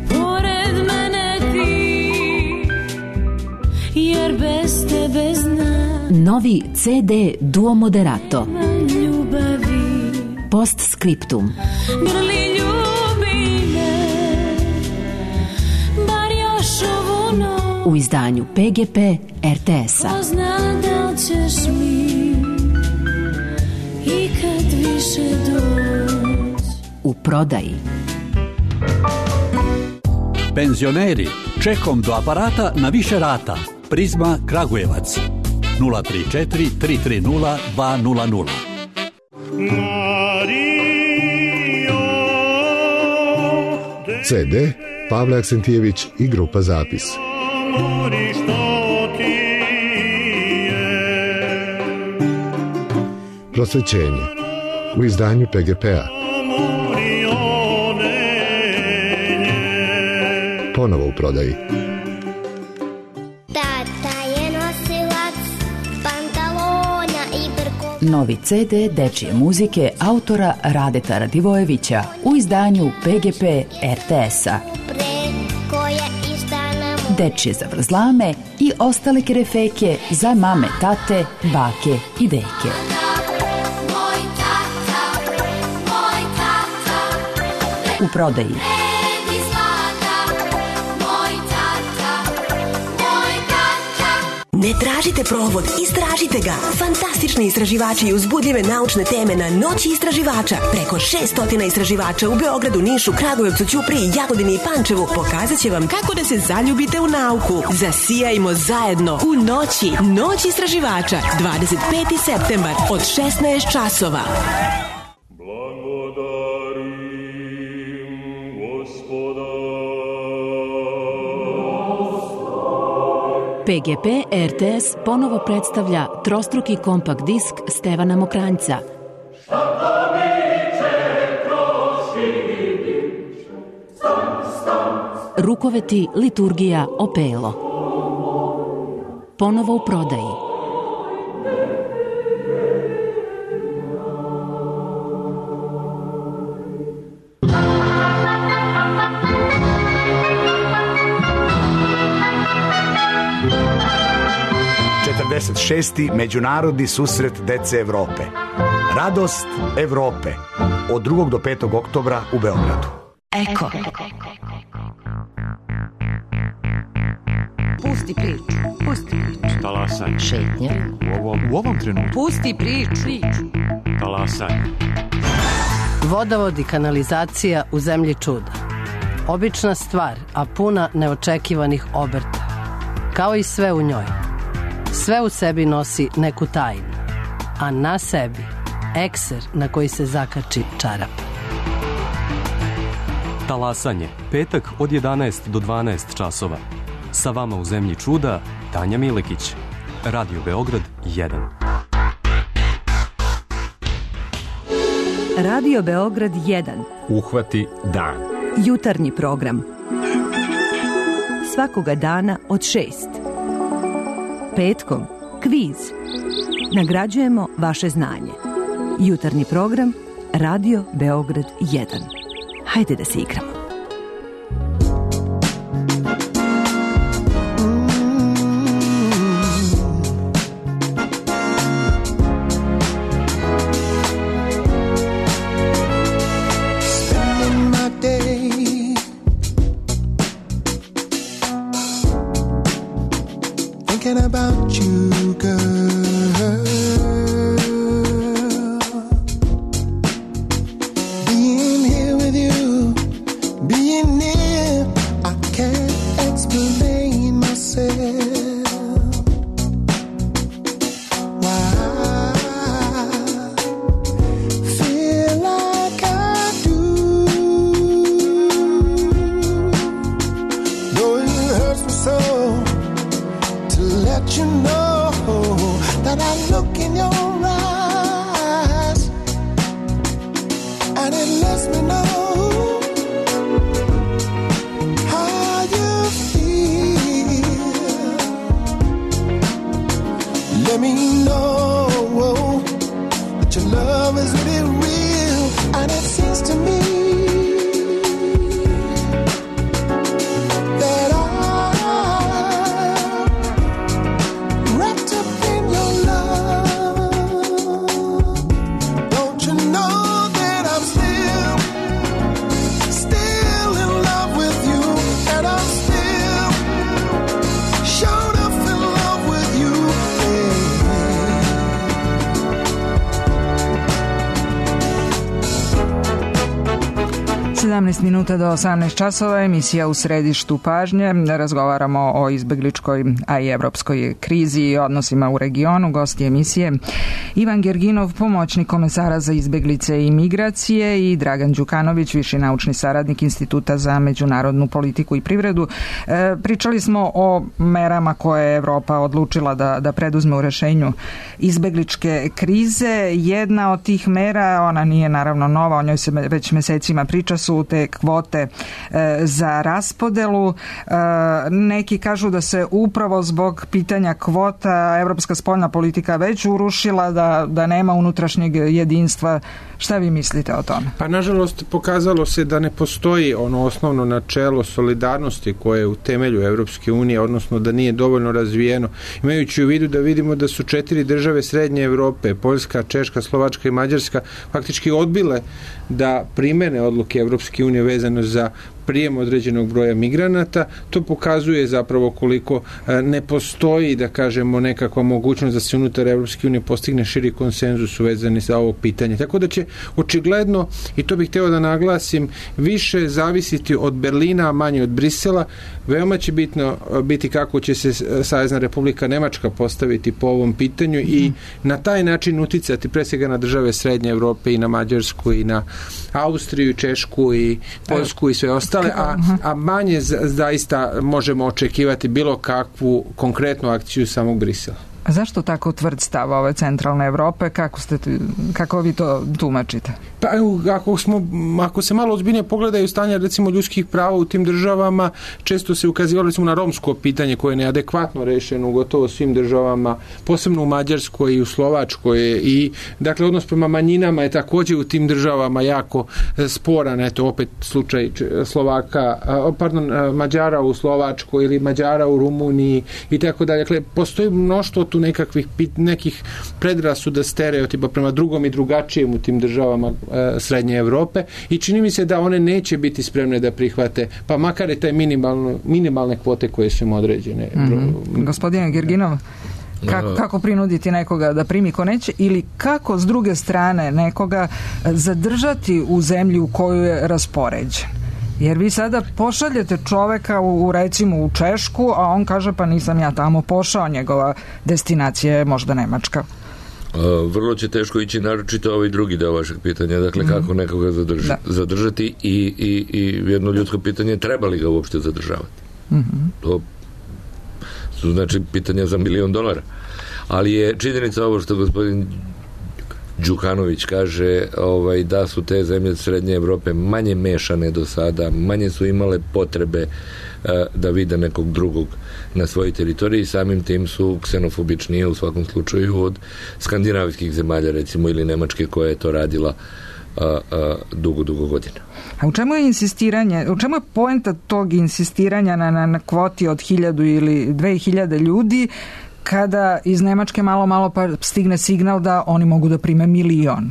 pored mene ti, jer bez tebe znam. Novi ce de Duo Moderato. Ljubavi. Postscriptum. Grli ljubi me, bar još ovu noć. U izdanju pe ge pe er te es-a. Ko zna da ćeš mi ikad više doći. U prodaji. Penzioneri, čekom do aparata na više rata. Prizma Kragujevac. nula tri četiri tri tri nula dva nula nula. ce de Pavle Aksentijević i grupa Zapis. Prosvećenje u izdanju pe ge pe a. Ponovo u prodaji. Tata je nosilac Novi ce de dečije muzike autora Radeta Radivojevića u izdanju pe ge pe er te esa. Dečije zavrzlame i ostale kerefeke za mame, tate, bake i deke. U prodaji. Ne tražite provod, istražite ga. Fantastični istraživači i uzbudljive naučne teme na Noći istraživača. Preko šesto istraživača u Beogradu, Nišu, Kragujevcu, Ćupriji, Jagodini i Pančevu pokazat će vam kako da se zaljubite u nauku. Zasijajmo zajedno u Noći. Noć istraživača. dvadeset peti septembar od šesnaest časova. pe ge pe er te es ponovo predstavlja trostruki kompakt disk Stevana Mokranjca. Rukoveti, liturgija, opelo. Ponovo u prodaji. četrdeset šesti Međunarodni susret dece Evrope. Radost Evrope. Od drugog do petog oktobra u Beogradu. Eko. Pusti priču. Pusti priču. Talasanje. Šetnja. U ovom, u ovom trenutku. Pusti priču. Talasanje. Vodovod i kanalizacija u zemlji čuda. Obična stvar, a puna neočekivanih obrta. Kao i sve u njoj. Sve u sebi nosi neku tajnu, a na sebi ekser na koji se zakači čarap. Talasanje, petak od jedanaest do dvanaest časova. Sa vama u zemlji čuda, Tanja Milekić. Radio Beograd jedan. Radio Beograd jedan. Uhvati dan. Jutarnji program. Svakoga dana od šest. Petkom kviz. Nagrađujemo vaše znanje. Jutarnji program Radio Beograd jedan. Hajde da se igramo. sedamnaest minuta do osamnaest časova, emisija U središtu pažnje. Razgovaramo o izbegličkoj, a i evropskoj krizi i odnosima u regionu. Gosti emisije Ivan Gerginov, pomoćnik komesara za izbeglice i migracije, i Dragan Đukanović, viši naučni saradnik Instituta za međunarodnu politiku i privredu. E, pričali smo o merama koje je Evropa odlučila da, da preduzme u rešenju izbegličke krize. Jedna od tih mera, ona nije naravno nova, o njoj se već mesecima priča, su te kvote za raspodelu. Neki kažu da se upravo zbog pitanja kvota evropska spoljna politika već urušila, da, da nema unutrašnjeg jedinstva. Šta vi mislite o tome? Pa nažalost pokazalo se da ne postoji ono osnovno načelo solidarnosti koje je u temelju Evropske unije, odnosno da nije dovoljno razvijeno. Imajući u vidu da vidimo da su četiri države Srednje Evrope, Poljska, Češka, Slovačka i Mađarska, faktički odbile da primene odluke Evropske unije vezano za prijem određenog broja migranata, to pokazuje zapravo koliko ne postoji, da kažemo, nekakva mogućnost da se unutar Evropske unije postigne širi konsenzus uvezani za ovo pitanje. Tako da će očigledno, i to bih hteo da naglasim, više zavisiti od Berlina, a manje od Brisela. Veoma će bitno biti kako će se Savezna Republika Nemačka postaviti po ovom pitanju i na taj način uticati pre svega na države Srednje Evrope i na Mađarsku i na Austriju, Češku i Poljsku i sve ostale. A, a manje zaista možemo očekivati bilo kakvu konkretnu akciju samog Brisela. A zašto tako tvrd stav ove centralne Evrope? Kako, ste, kako vi to tumačite? Pa ako, smo, ako se malo ozbiljnije pogledaju stanja recimo ljudskih prava u tim državama, često se ukazivalo recimo na romsko pitanje koje je neadekvatno rešeno u gotovo svim državama, posebno u Mađarskoj i u Slovačkoj, i dakle odnos prema manjinama je također u tim državama jako sporan. Eto opet slučaj Slovaka, pardon, Mađara u Slovačkoj ili Mađara u Rumuniji i tako dalje. Dakle, postoji mnoštvo tu nekakvih nekih predrasuda, stereotipa prema drugom i drugačijem u tim državama Srednje Evrope i čini mi se da one neće biti spremne da prihvate, pa makar je taj minimalno, minimalne kvote koje su im određene. Mm-hmm. Gospodine Girginov, kako, kako prinuditi nekoga da primi ko neće, ili kako s druge strane nekoga zadržati u zemlji u koju je raspoređen? Jer vi sada pošaljete čoveka u, u recimo u Češku, a on kaže pa nisam ja tamo pošao, njegova destinacija je možda Nemačka. Uh, vrlo će teško ići, naročito ovaj drugi deo vašeg pitanja, dakle mm-hmm. kako nekoga zadrži, zadržati i, i, i jedno ljudsko pitanje, treba li ga uopšte zadržavati. Mm-hmm. To su znači pitanja za milion dolara. Ali je činjenica ovo što gospodin Đukanović kaže, ovaj, da su te zemlje Srednje Evrope manje mešane do sada, manje su imale potrebe uh, da vide nekog drugog na svojoj teritoriji, samim tim su ksenofobičnije u svakom slučaju od skandinavskih zemalja, recimo, ili Nemačke koja je to radila uh, uh, dugo, dugo godina. A u čemu je insistiranje, u čemu je poenta tog insistiranja na, na, na kvoti od hiljadu ili dve hiljade ljudi, kada iz Nemačke malo malo pa stigne signal da oni mogu da prime milion?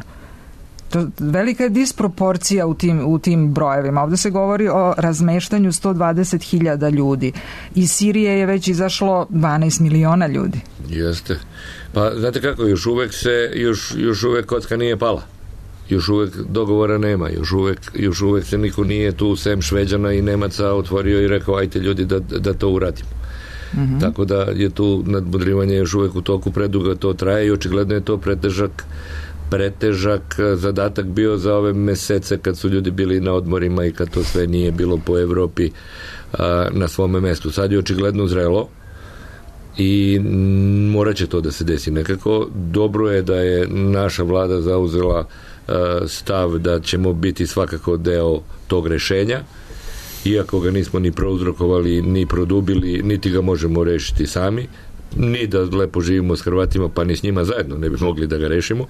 To, velika je disproporcija u tim, u tim brojevima. Ovdje se govori o razmeštanju sto dvadeset hiljada ljudi. Iz Sirije je već izašlo dvanaest miliona ljudi. Jeste. Pa znate kako, još uvek se, još, još uvek kocka nije pala. Još uvek dogovora nema. Još uvek, još uvek se niko nije tu sem Šveđana i Nemaca otvorio i rekao ajte ljudi da, da to uradimo. Mm-hmm. Tako da je tu nadmudrivanje još uvek u toku, predugo to traje i očigledno je to pretežak pretežak zadatak bio za ove mesece kad su ljudi bili na odmorima i kad to sve nije bilo po Evropi a, na svome mestu. Sad je očigledno zrelo i morat će to da se desi nekako. Dobro je da je naša vlada zauzela a, stav da ćemo biti svakako deo tog rešenja, iako ga nismo ni prouzrokovali, ni produbili, niti ga možemo rešiti sami, ni da lepo živimo s Hrvatima, pa ni s njima zajedno ne bi mogli da ga rešimo.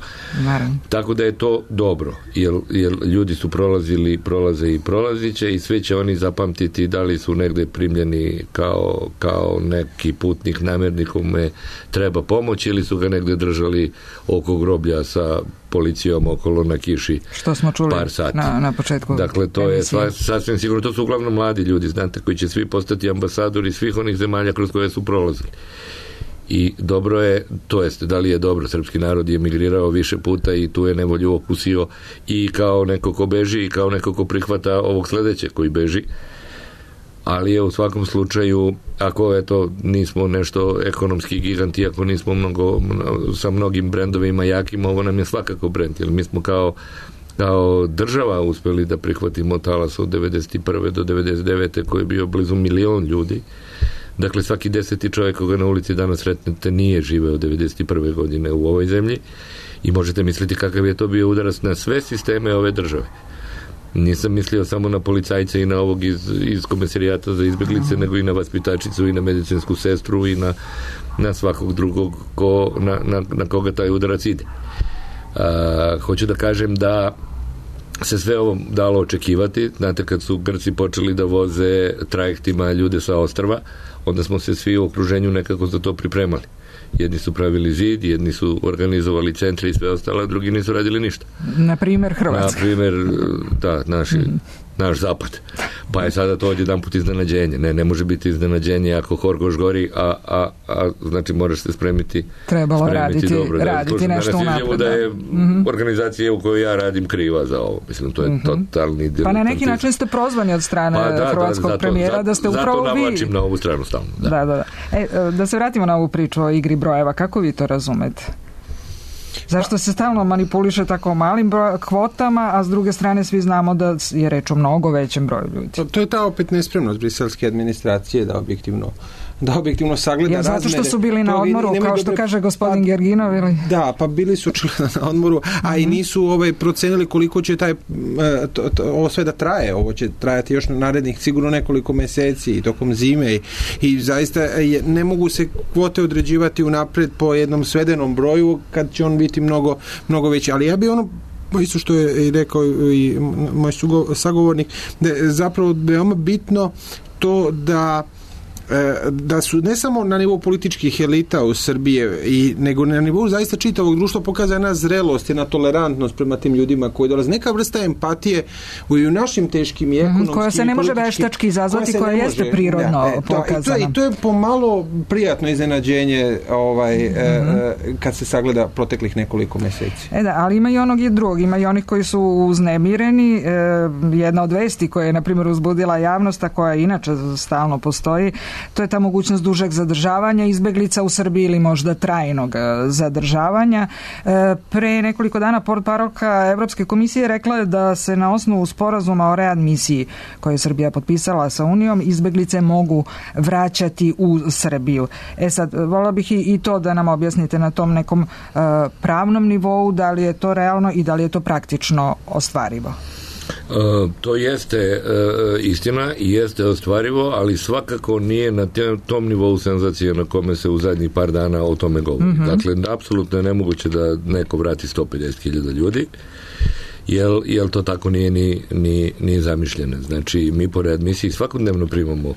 Naravno. Tako da je to dobro, jer, jer ljudi su prolazili, prolaze i prolaziće i sve će oni zapamtiti da li su negde primljeni kao, kao neki putnik namernik kome treba pomoć ili su ga negde držali oko groblja sa policijom okolo na kiši. Što smo čuli par sati. Na, na početku. Dakle, to je sva, sasvim sigurno, to su uglavnom mladi ljudi, znate, koji će svi postati ambasadori svih onih zemalja kroz koje su prolazili. I dobro je, to jest, da li je dobro, srpski narod je emigrirao više puta i tu je nevolju okusio i kao neko ko beži i kao neko ko prihvata ovog sledeće koji beži, ali je u svakom slučaju, ako eto nismo nešto ekonomski giganti, ako nismo mnogo, sa mnogim brendovima jakim, ovo nam je svakako brend, jer mi smo kao kao država uspeli da prihvatimo talas od devedeset prve do devedeset devete koji je bio blizu milion ljudi. Dakle, svaki deseti čovjek koga na ulici danas sretnete nije živeo devedeset prve godine u ovoj zemlji i možete misliti kakav je to bio udarac na sve sisteme ove države. Nisam mislio samo na policajce i na ovog iz, iz komisarijata za izbjeglice, nego i na vaspitačicu i na medicinsku sestru i na, na svakog drugog ko, na, na, na koga taj udarac ide. A, hoću da kažem da se sve ovo dalo očekivati. Znate, kad su Grci počeli da voze trajektima ljude sa ostrva, onda smo se svi u okruženju nekako za to pripremali. Jedni su pravili zid, jedni su organizovali centre i sve ostalo, a drugi nisu radili ništa. Na primjer Hrvatska. Na primjer, da, naši, mm. naš zapad. Pa je sada to odjedan put iznenađenje. Ne, ne može biti iznenađenje ako Horgoš gori, a, a, a znači moraš se spremiti trebalo spremiti raditi, dobro. raditi da, nešto unapred. Da je mm-hmm. organizacija u kojoj ja radim kriva za ovo. Mislim, to je mm-hmm. totalni Pa na neki način ste prozvani od strane pa, da, hrvatskog da, zato, premijera zato, da ste upravo vi. Zato navlačim na ovu stranu stalno. Da. Da, da, da. E, da se vratimo na ovu priču o igri brojeva. Kako vi to razumete? Zašto se stalno manipuliše tako malim broj, kvotama, a s druge strane svi znamo da je reč o mnogo većem broju ljudi? To, to je ta opet nespremnost briselske administracije da objektivno da objektivno sagleda ja, zato razmere. Zato što su bili na odmoru, kao što dobre, kaže gospodin pa, Gerginov, ili? Da, pa bili su očigledno na odmoru, a mm-hmm. i nisu ovaj, procenili koliko će taj to, to, ovo sve da traje. Ovo će trajati još na narednih sigurno nekoliko meseci i tokom zime i, i zaista je, ne mogu se kvote određivati unapred po jednom svedenom broju kad će on biti mnogo, mnogo veći. Ali ja bi ono isto što je i rekao i moj sagovornik, da je zapravo veoma bitno to da da su ne samo na nivou političkih elita u Srbije i nego na nivou zaista čitavog društva pokazana zrelost i na tolerantnost prema tim ljudima koji dolaze. Neka vrsta empatije u našim teškim i ekonomskim koja se ne može veštački izazvati, koja, koja jeste može, prirodno da, e, pokazana. I to, i to je pomalo prijatno iznenađenje ovaj, mm-hmm. e, kad se sagleda proteklih nekoliko meseci. E da, ali ima i onog i drugog. Ima i onih koji su uznemireni. E, jedna od vesti koja je, na primjer, uzbudila javnost, a koja inače stalno postoji, to je ta mogućnost dužeg zadržavanja izbeglica u Srbiji ili možda trajnog zadržavanja. Pre nekoliko dana portparolka Evropske komisije rekla je da se na osnovu sporazuma o readmisiji koje je Srbija potpisala sa Unijom izbeglice mogu vraćati u Srbiju. E sad, volila bih i, i to da nam objasnite na tom nekom uh, pravnom nivou, da li je to realno i da li je to praktično ostvarivo. Uh, to jeste uh, istina i jeste ostvarivo, ali svakako nije na te, tom nivou senzacije na kome se u zadnjih par dana o tome govori. Mm-hmm. Dakle, apsolutno je nemoguće da neko vrati sto pedeset hiljada ljudi, jel, jel to tako nije ni, ni, ni zamišljeno. Znači, mi po readmisiji svakodnevno primamo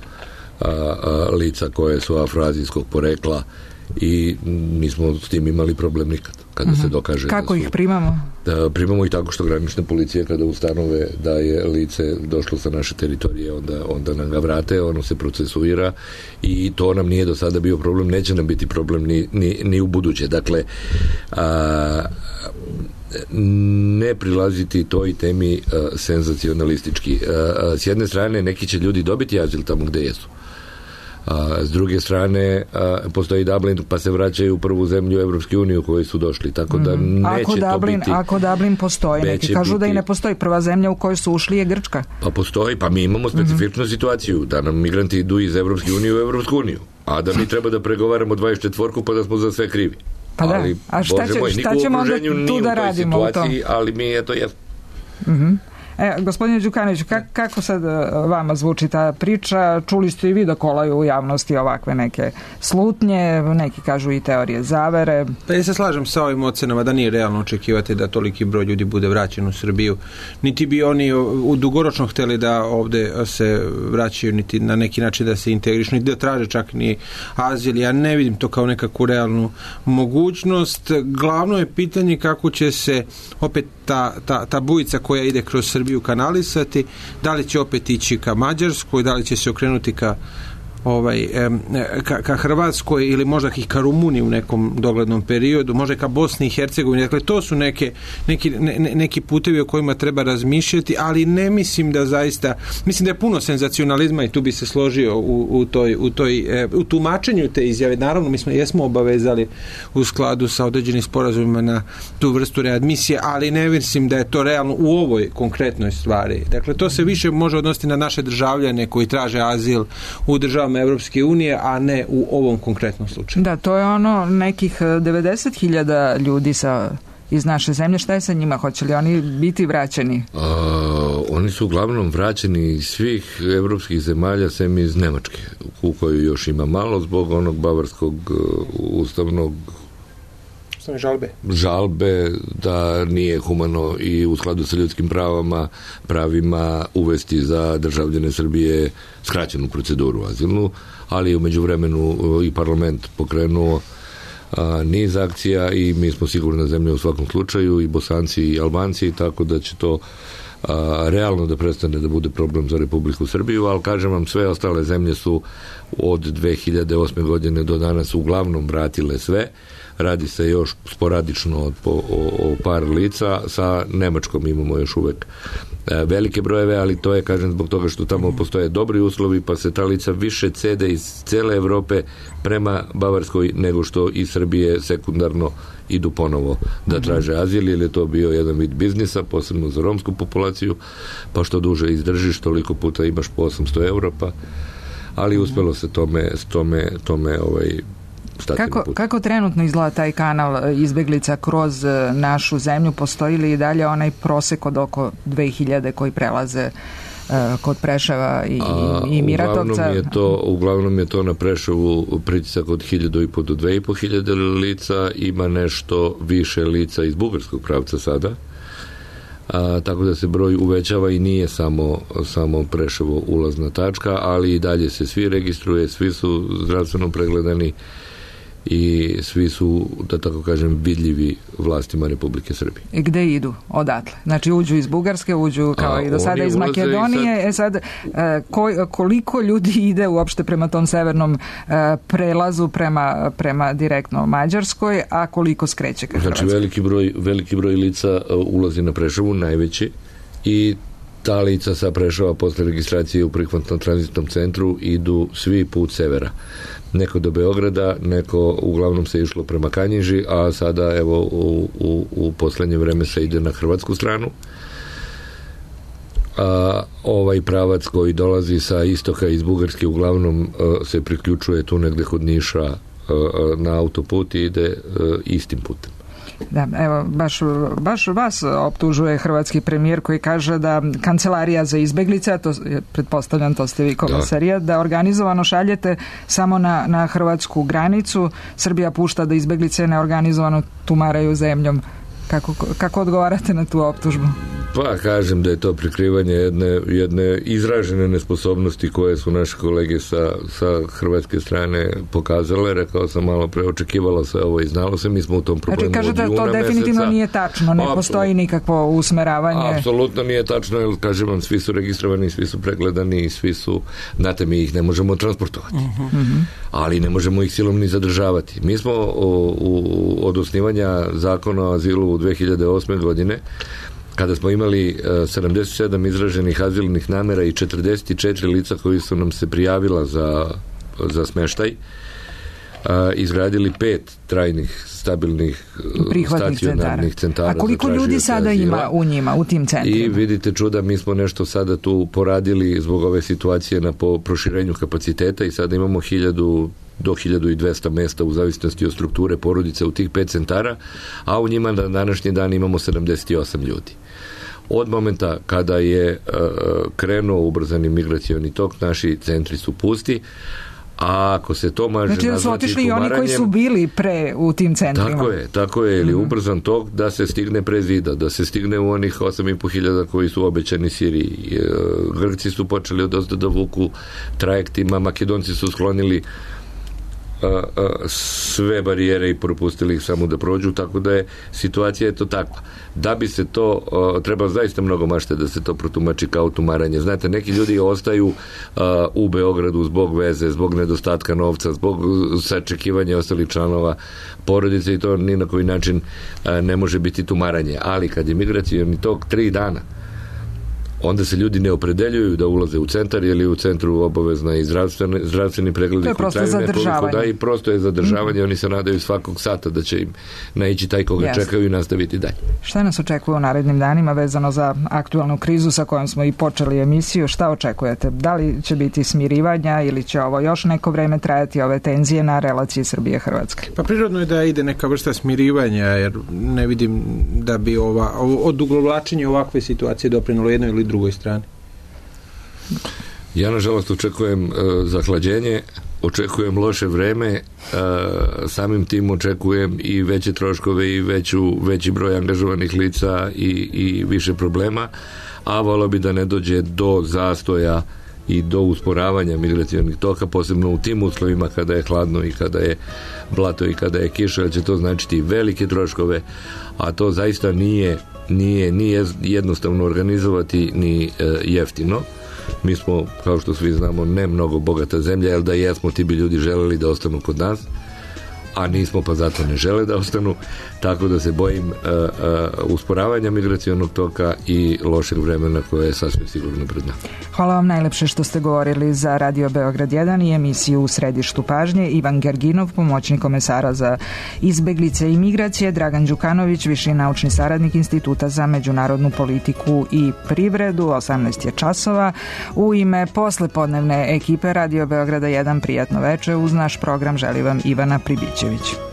a, a, lica koje su afroazijskog porekla i mi smo s tim imali problem nikad kada mm-hmm. se dokaže. Kako da su, ih primamo? Da, primamo ih tako što granične policije kada ustanove da je lice došlo sa naše teritorije, onda, onda nam ga vrate, ono se procesuira i to nam nije do sada bio problem, neće nam biti problem ni, ni, ni u buduće. Dakle, a, ne prilaziti toj temi a, senzacionalistički. A, a, s jedne strane neki će ljudi dobiti azil tamo gde jesu. A, s druge strane a, postoji Dublin pa se vraćaju u prvu zemlju Evropske unije u kojoj su došli, tako da neće ako to Dublin, biti ako Dublin postoji, neki kažu biti, da i ne postoji prva zemlja u kojoj su ušli je Grčka. Pa postoji, pa mi imamo specifičnu mm-hmm. situaciju da nam migranti idu iz Evropske unije u Evropsku uniju, a da mi treba da pregovaramo dvadeset četiri pa da smo za sve krivi. Pa da, ali, a šta, će, moj, šta ćemo onda tu da radimo u tom? Ali mi je to jesmo. Mhm. E, gospodine Đukanoviću, kak, kako sad vama zvuči ta priča? Čuli ste i vi da kolaju u javnosti ovakve neke slutnje, neki kažu i teorije zavere. Pa ja se slažem sa ovim ocenama da nije realno očekivati da toliki broj ljudi bude vraćen u Srbiju. Niti bi oni u dugoročno hteli da ovde se vraćaju, niti na neki način da se integrišu, niti da traže čak ni azil. Ja ne vidim to kao nekakvu realnu mogućnost. Glavno je pitanje kako će se opet ta, ta, ta bujica koja ide kroz Srbiju kanalisati, da li će opet ići ka Mađarskoj, da li će se okrenuti ka ovaj, ka, ka Hrvatskoj ili možda i ka Rumuniji u nekom doglednom periodu, možda ka Bosni i Hercegovini. Dakle, to su neke, neki, ne, neki putevi o kojima treba razmišljati, ali ne mislim da zaista, mislim da je puno senzacionalizma i tu bi se složio u, u, toj, u, toj, u tumačenju te izjave. Naravno, mi smo jesmo obavezali u skladu sa određenim sporazumima na tu vrstu readmisije, ali ne mislim da je to realno u ovoj konkretnoj stvari. Dakle, to se više može odnositi na naše državljane koji traže azil u državama Evropske unije, a ne u ovom konkretnom slučaju. Da, to je ono nekih devedeset hiljada ljudi sa iz naše zemlje. Šta je sa njima? Hoće li oni biti vraćeni? A, oni su uglavnom vraćeni iz svih evropskih zemalja, sem iz Nemačke, u kojoj još ima malo zbog onog bavarskog uh, ustavnog žalbe. žalbe da nije humano i u skladu sa ljudskim pravama, pravima uvesti za državljane Srbije skraćenu proceduru azilnu, ali u međuvremenu i parlament pokrenuo a, niz akcija i mi smo sigurna zemlja u svakom slučaju, i Bosanci i Albanci, tako da će to a, realno da prestane da bude problem za Republiku Srbiju, ali kažem vam, sve ostale zemlje su od dve hiljade osme godine do danas uglavnom vratile sve. Radi se još sporadično o, o, o par lica. Sa Nemačkom imamo još uvek e, velike brojeve, ali to je, kažem, zbog toga što tamo postoje dobri uslovi, pa se ta lica više cede iz cele Evrope prema Bavarskoj nego što iz Srbije sekundarno idu ponovo da traže azil, jer je to bio jedan vid biznisa, posebno za romsku populaciju, pa što duže izdržiš, toliko puta imaš po osamsto eura, pa ali uspelo se tome, tome, tome ovaj, Kako, kako trenutno izgleda taj kanal izbeglica kroz našu zemlju? Postoji li i dalje onaj prosek od oko dve hiljade koji prelaze uh, kod Preševa i, A, i Miratovca? Uglavnom je, to, uglavnom je to na Preševu pritisak od hiljadu i po do dve i po hiljade lica, ima nešto više lica iz bugarskog pravca sada. A, tako da se broj uvećava i nije samo, samo Preševo ulazna tačka, ali i dalje se svi registruje, svi su zdravstveno pregledani i svi su, da tako kažem, vidljivi vlastima Republike Srbije. I gde idu? Odatle? Znači uđu iz Bugarske, uđu kao A, i do sada iz Makedonije. Sad... E sad, ko, koliko ljudi ide uopšte prema tom severnom prelazu prema, prema direktno Mađarskoj, a koliko skreće ka Hrvatskoj? Znači veliki broj, veliki broj lica ulazi na Preševu, najveći, i ta lica sa Preševa posle registracije u prihvatnom tranzitnom centru idu svi put severa. Neko do Beograda, neko uglavnom se išlo prema Kanjiži, a sada evo u, u, u poslednje vreme se ide na hrvatsku stranu. A ovaj pravac koji dolazi sa istoka iz Bugarske uglavnom a, se priključuje tu negde kod Niša a, a, na autoput i ide a, istim putem. Da, evo, baš, baš vas optužuje hrvatski premijer koji kaže da Kancelarija za izbeglice, a to pretpostavljam to ste vi komisarija, da, da organizovano šaljete samo na, na hrvatsku granicu. Srbija pušta da izbeglice neorganizovano tumaraju zemljom. Kako, kako odgovarate na tu optužbu? Pa kažem da je to prikrivanje jedne, jedne izražene nesposobnosti koje su naše kolege sa, sa hrvatske strane pokazale. Rekao sam malo pre, očekivalo se ovo i znalo se, mi smo u tom problemu znači, od juna meseca. Znači kažete da to definitivno nije tačno, ne postoji nikakvo usmeravanje. Apsolutno nije tačno, jer kažem vam, svi su registrovani, svi su pregledani, svi su, znate, mi ih ne možemo transportovati. Uh-huh. Ali ne možemo ih silom ni zadržavati. Mi smo u, u, od osnivanja zakona o azilu u dve hiljade osme godine, kada smo imali uh, sedamdeset sedam izraženih azilnih namera i četrdeset četiri lica koji su nam se prijavila za, za smeštaj, uh, izgradili pet trajnih, stabilnih stacionarnih centara. A koliko ljudi sada azila ima u njima, u tim centrima? I vidite čuda, mi smo nešto sada tu poradili zbog ove situacije na po proširenju kapaciteta i sada imamo hiljadu do hiljadu i dvesta mesta u zavisnosti od strukture porodice u tih pet centara, a u njima na današnji dan imamo sedamdeset osam ljudi. Od momenta kada je uh, krenuo ubrzani migracioni tok, naši centri su pusti, a ako se to može znači da su otišli i oni koji su bili pre u tim centrima. Tako je, tako je, ili mm-hmm. ubrzan tok da se stigne pre zida, da se stigne u onih osam i po hiljada koji su obećani Siriji. Grci su počeli odozdo da vuku trajektima, Makedonci su sklonili A, a, sve barijere i propustili ih samo da prođu, tako da je situacija je to takva. Da bi se to, a, treba zaista mnogo mašte da se to protumači kao tumaranje. Znate, neki ljudi ostaju a, u Beogradu zbog veze, zbog nedostatka novca, zbog sačekivanja ostalih članova porodice i to ni na koji način a, ne može biti tumaranje. Ali kad je migracioni tok tri dana onda se ljudi ne opredeljuju da ulaze u centar, jer je u centru obavezna i zdravstveni, zdravstveni pregled. To je prosto zadržavanje. Da, i prosto je zadržavanje, mm. oni se nadaju svakog sata da će im naići taj koga yes. čekaju i nastaviti dalje. Šta nas očekuje u narednim danima vezano za aktualnu krizu sa kojom smo i počeli emisiju? Šta očekujete? Da li će biti smirivanja ili će ovo još neko vreme trajati, ove tenzije na relaciji Srbije-Hrvatske? Pa prirodno je da ide neka vrsta smirivanja, jer ne vidim da bi ova, odugovlačenje ovakve situacije doprinalo jednoj ili drugoj strani. Ja nažalost očekujem uh, zahlađenje, očekujem loše vreme, uh, samim tim očekujem i veće troškove i veću, veći broj angažovanih lica i, i više problema, a volio bi da ne dođe do zastoja i do usporavanja migracionih toka, posebno u tim uslovima kada je hladno i kada je blato i kada je kiša, jer će to značiti velike troškove, a to zaista nije nije ni jednostavno organizovati ni e, jeftino. Mi smo, kao što svi znamo, ne mnogo bogata zemlja, jer da jesmo, ti bi ljudi želeli da ostanu kod nas, a nismo, pa zato ne žele da ostanu, tako da se bojim uh, uh, usporavanja migracionog toka i lošeg vremena koje je sasvim sigurno pred nama. Hvala vam najlepše što ste govorili za Radio Beograd jedan i emisiju U središtu pažnje. Ivan Gerginov, pomoćnik komesara za izbeglice i migracije, Dragan Đukanović, viši naučni saradnik Instituta za međunarodnu politiku i privredu. osamnaest je časova. U ime poslepodnevne ekipe Radio Beograda jedan prijatno veče. Uz naš program želi vam Ivana Pribićević.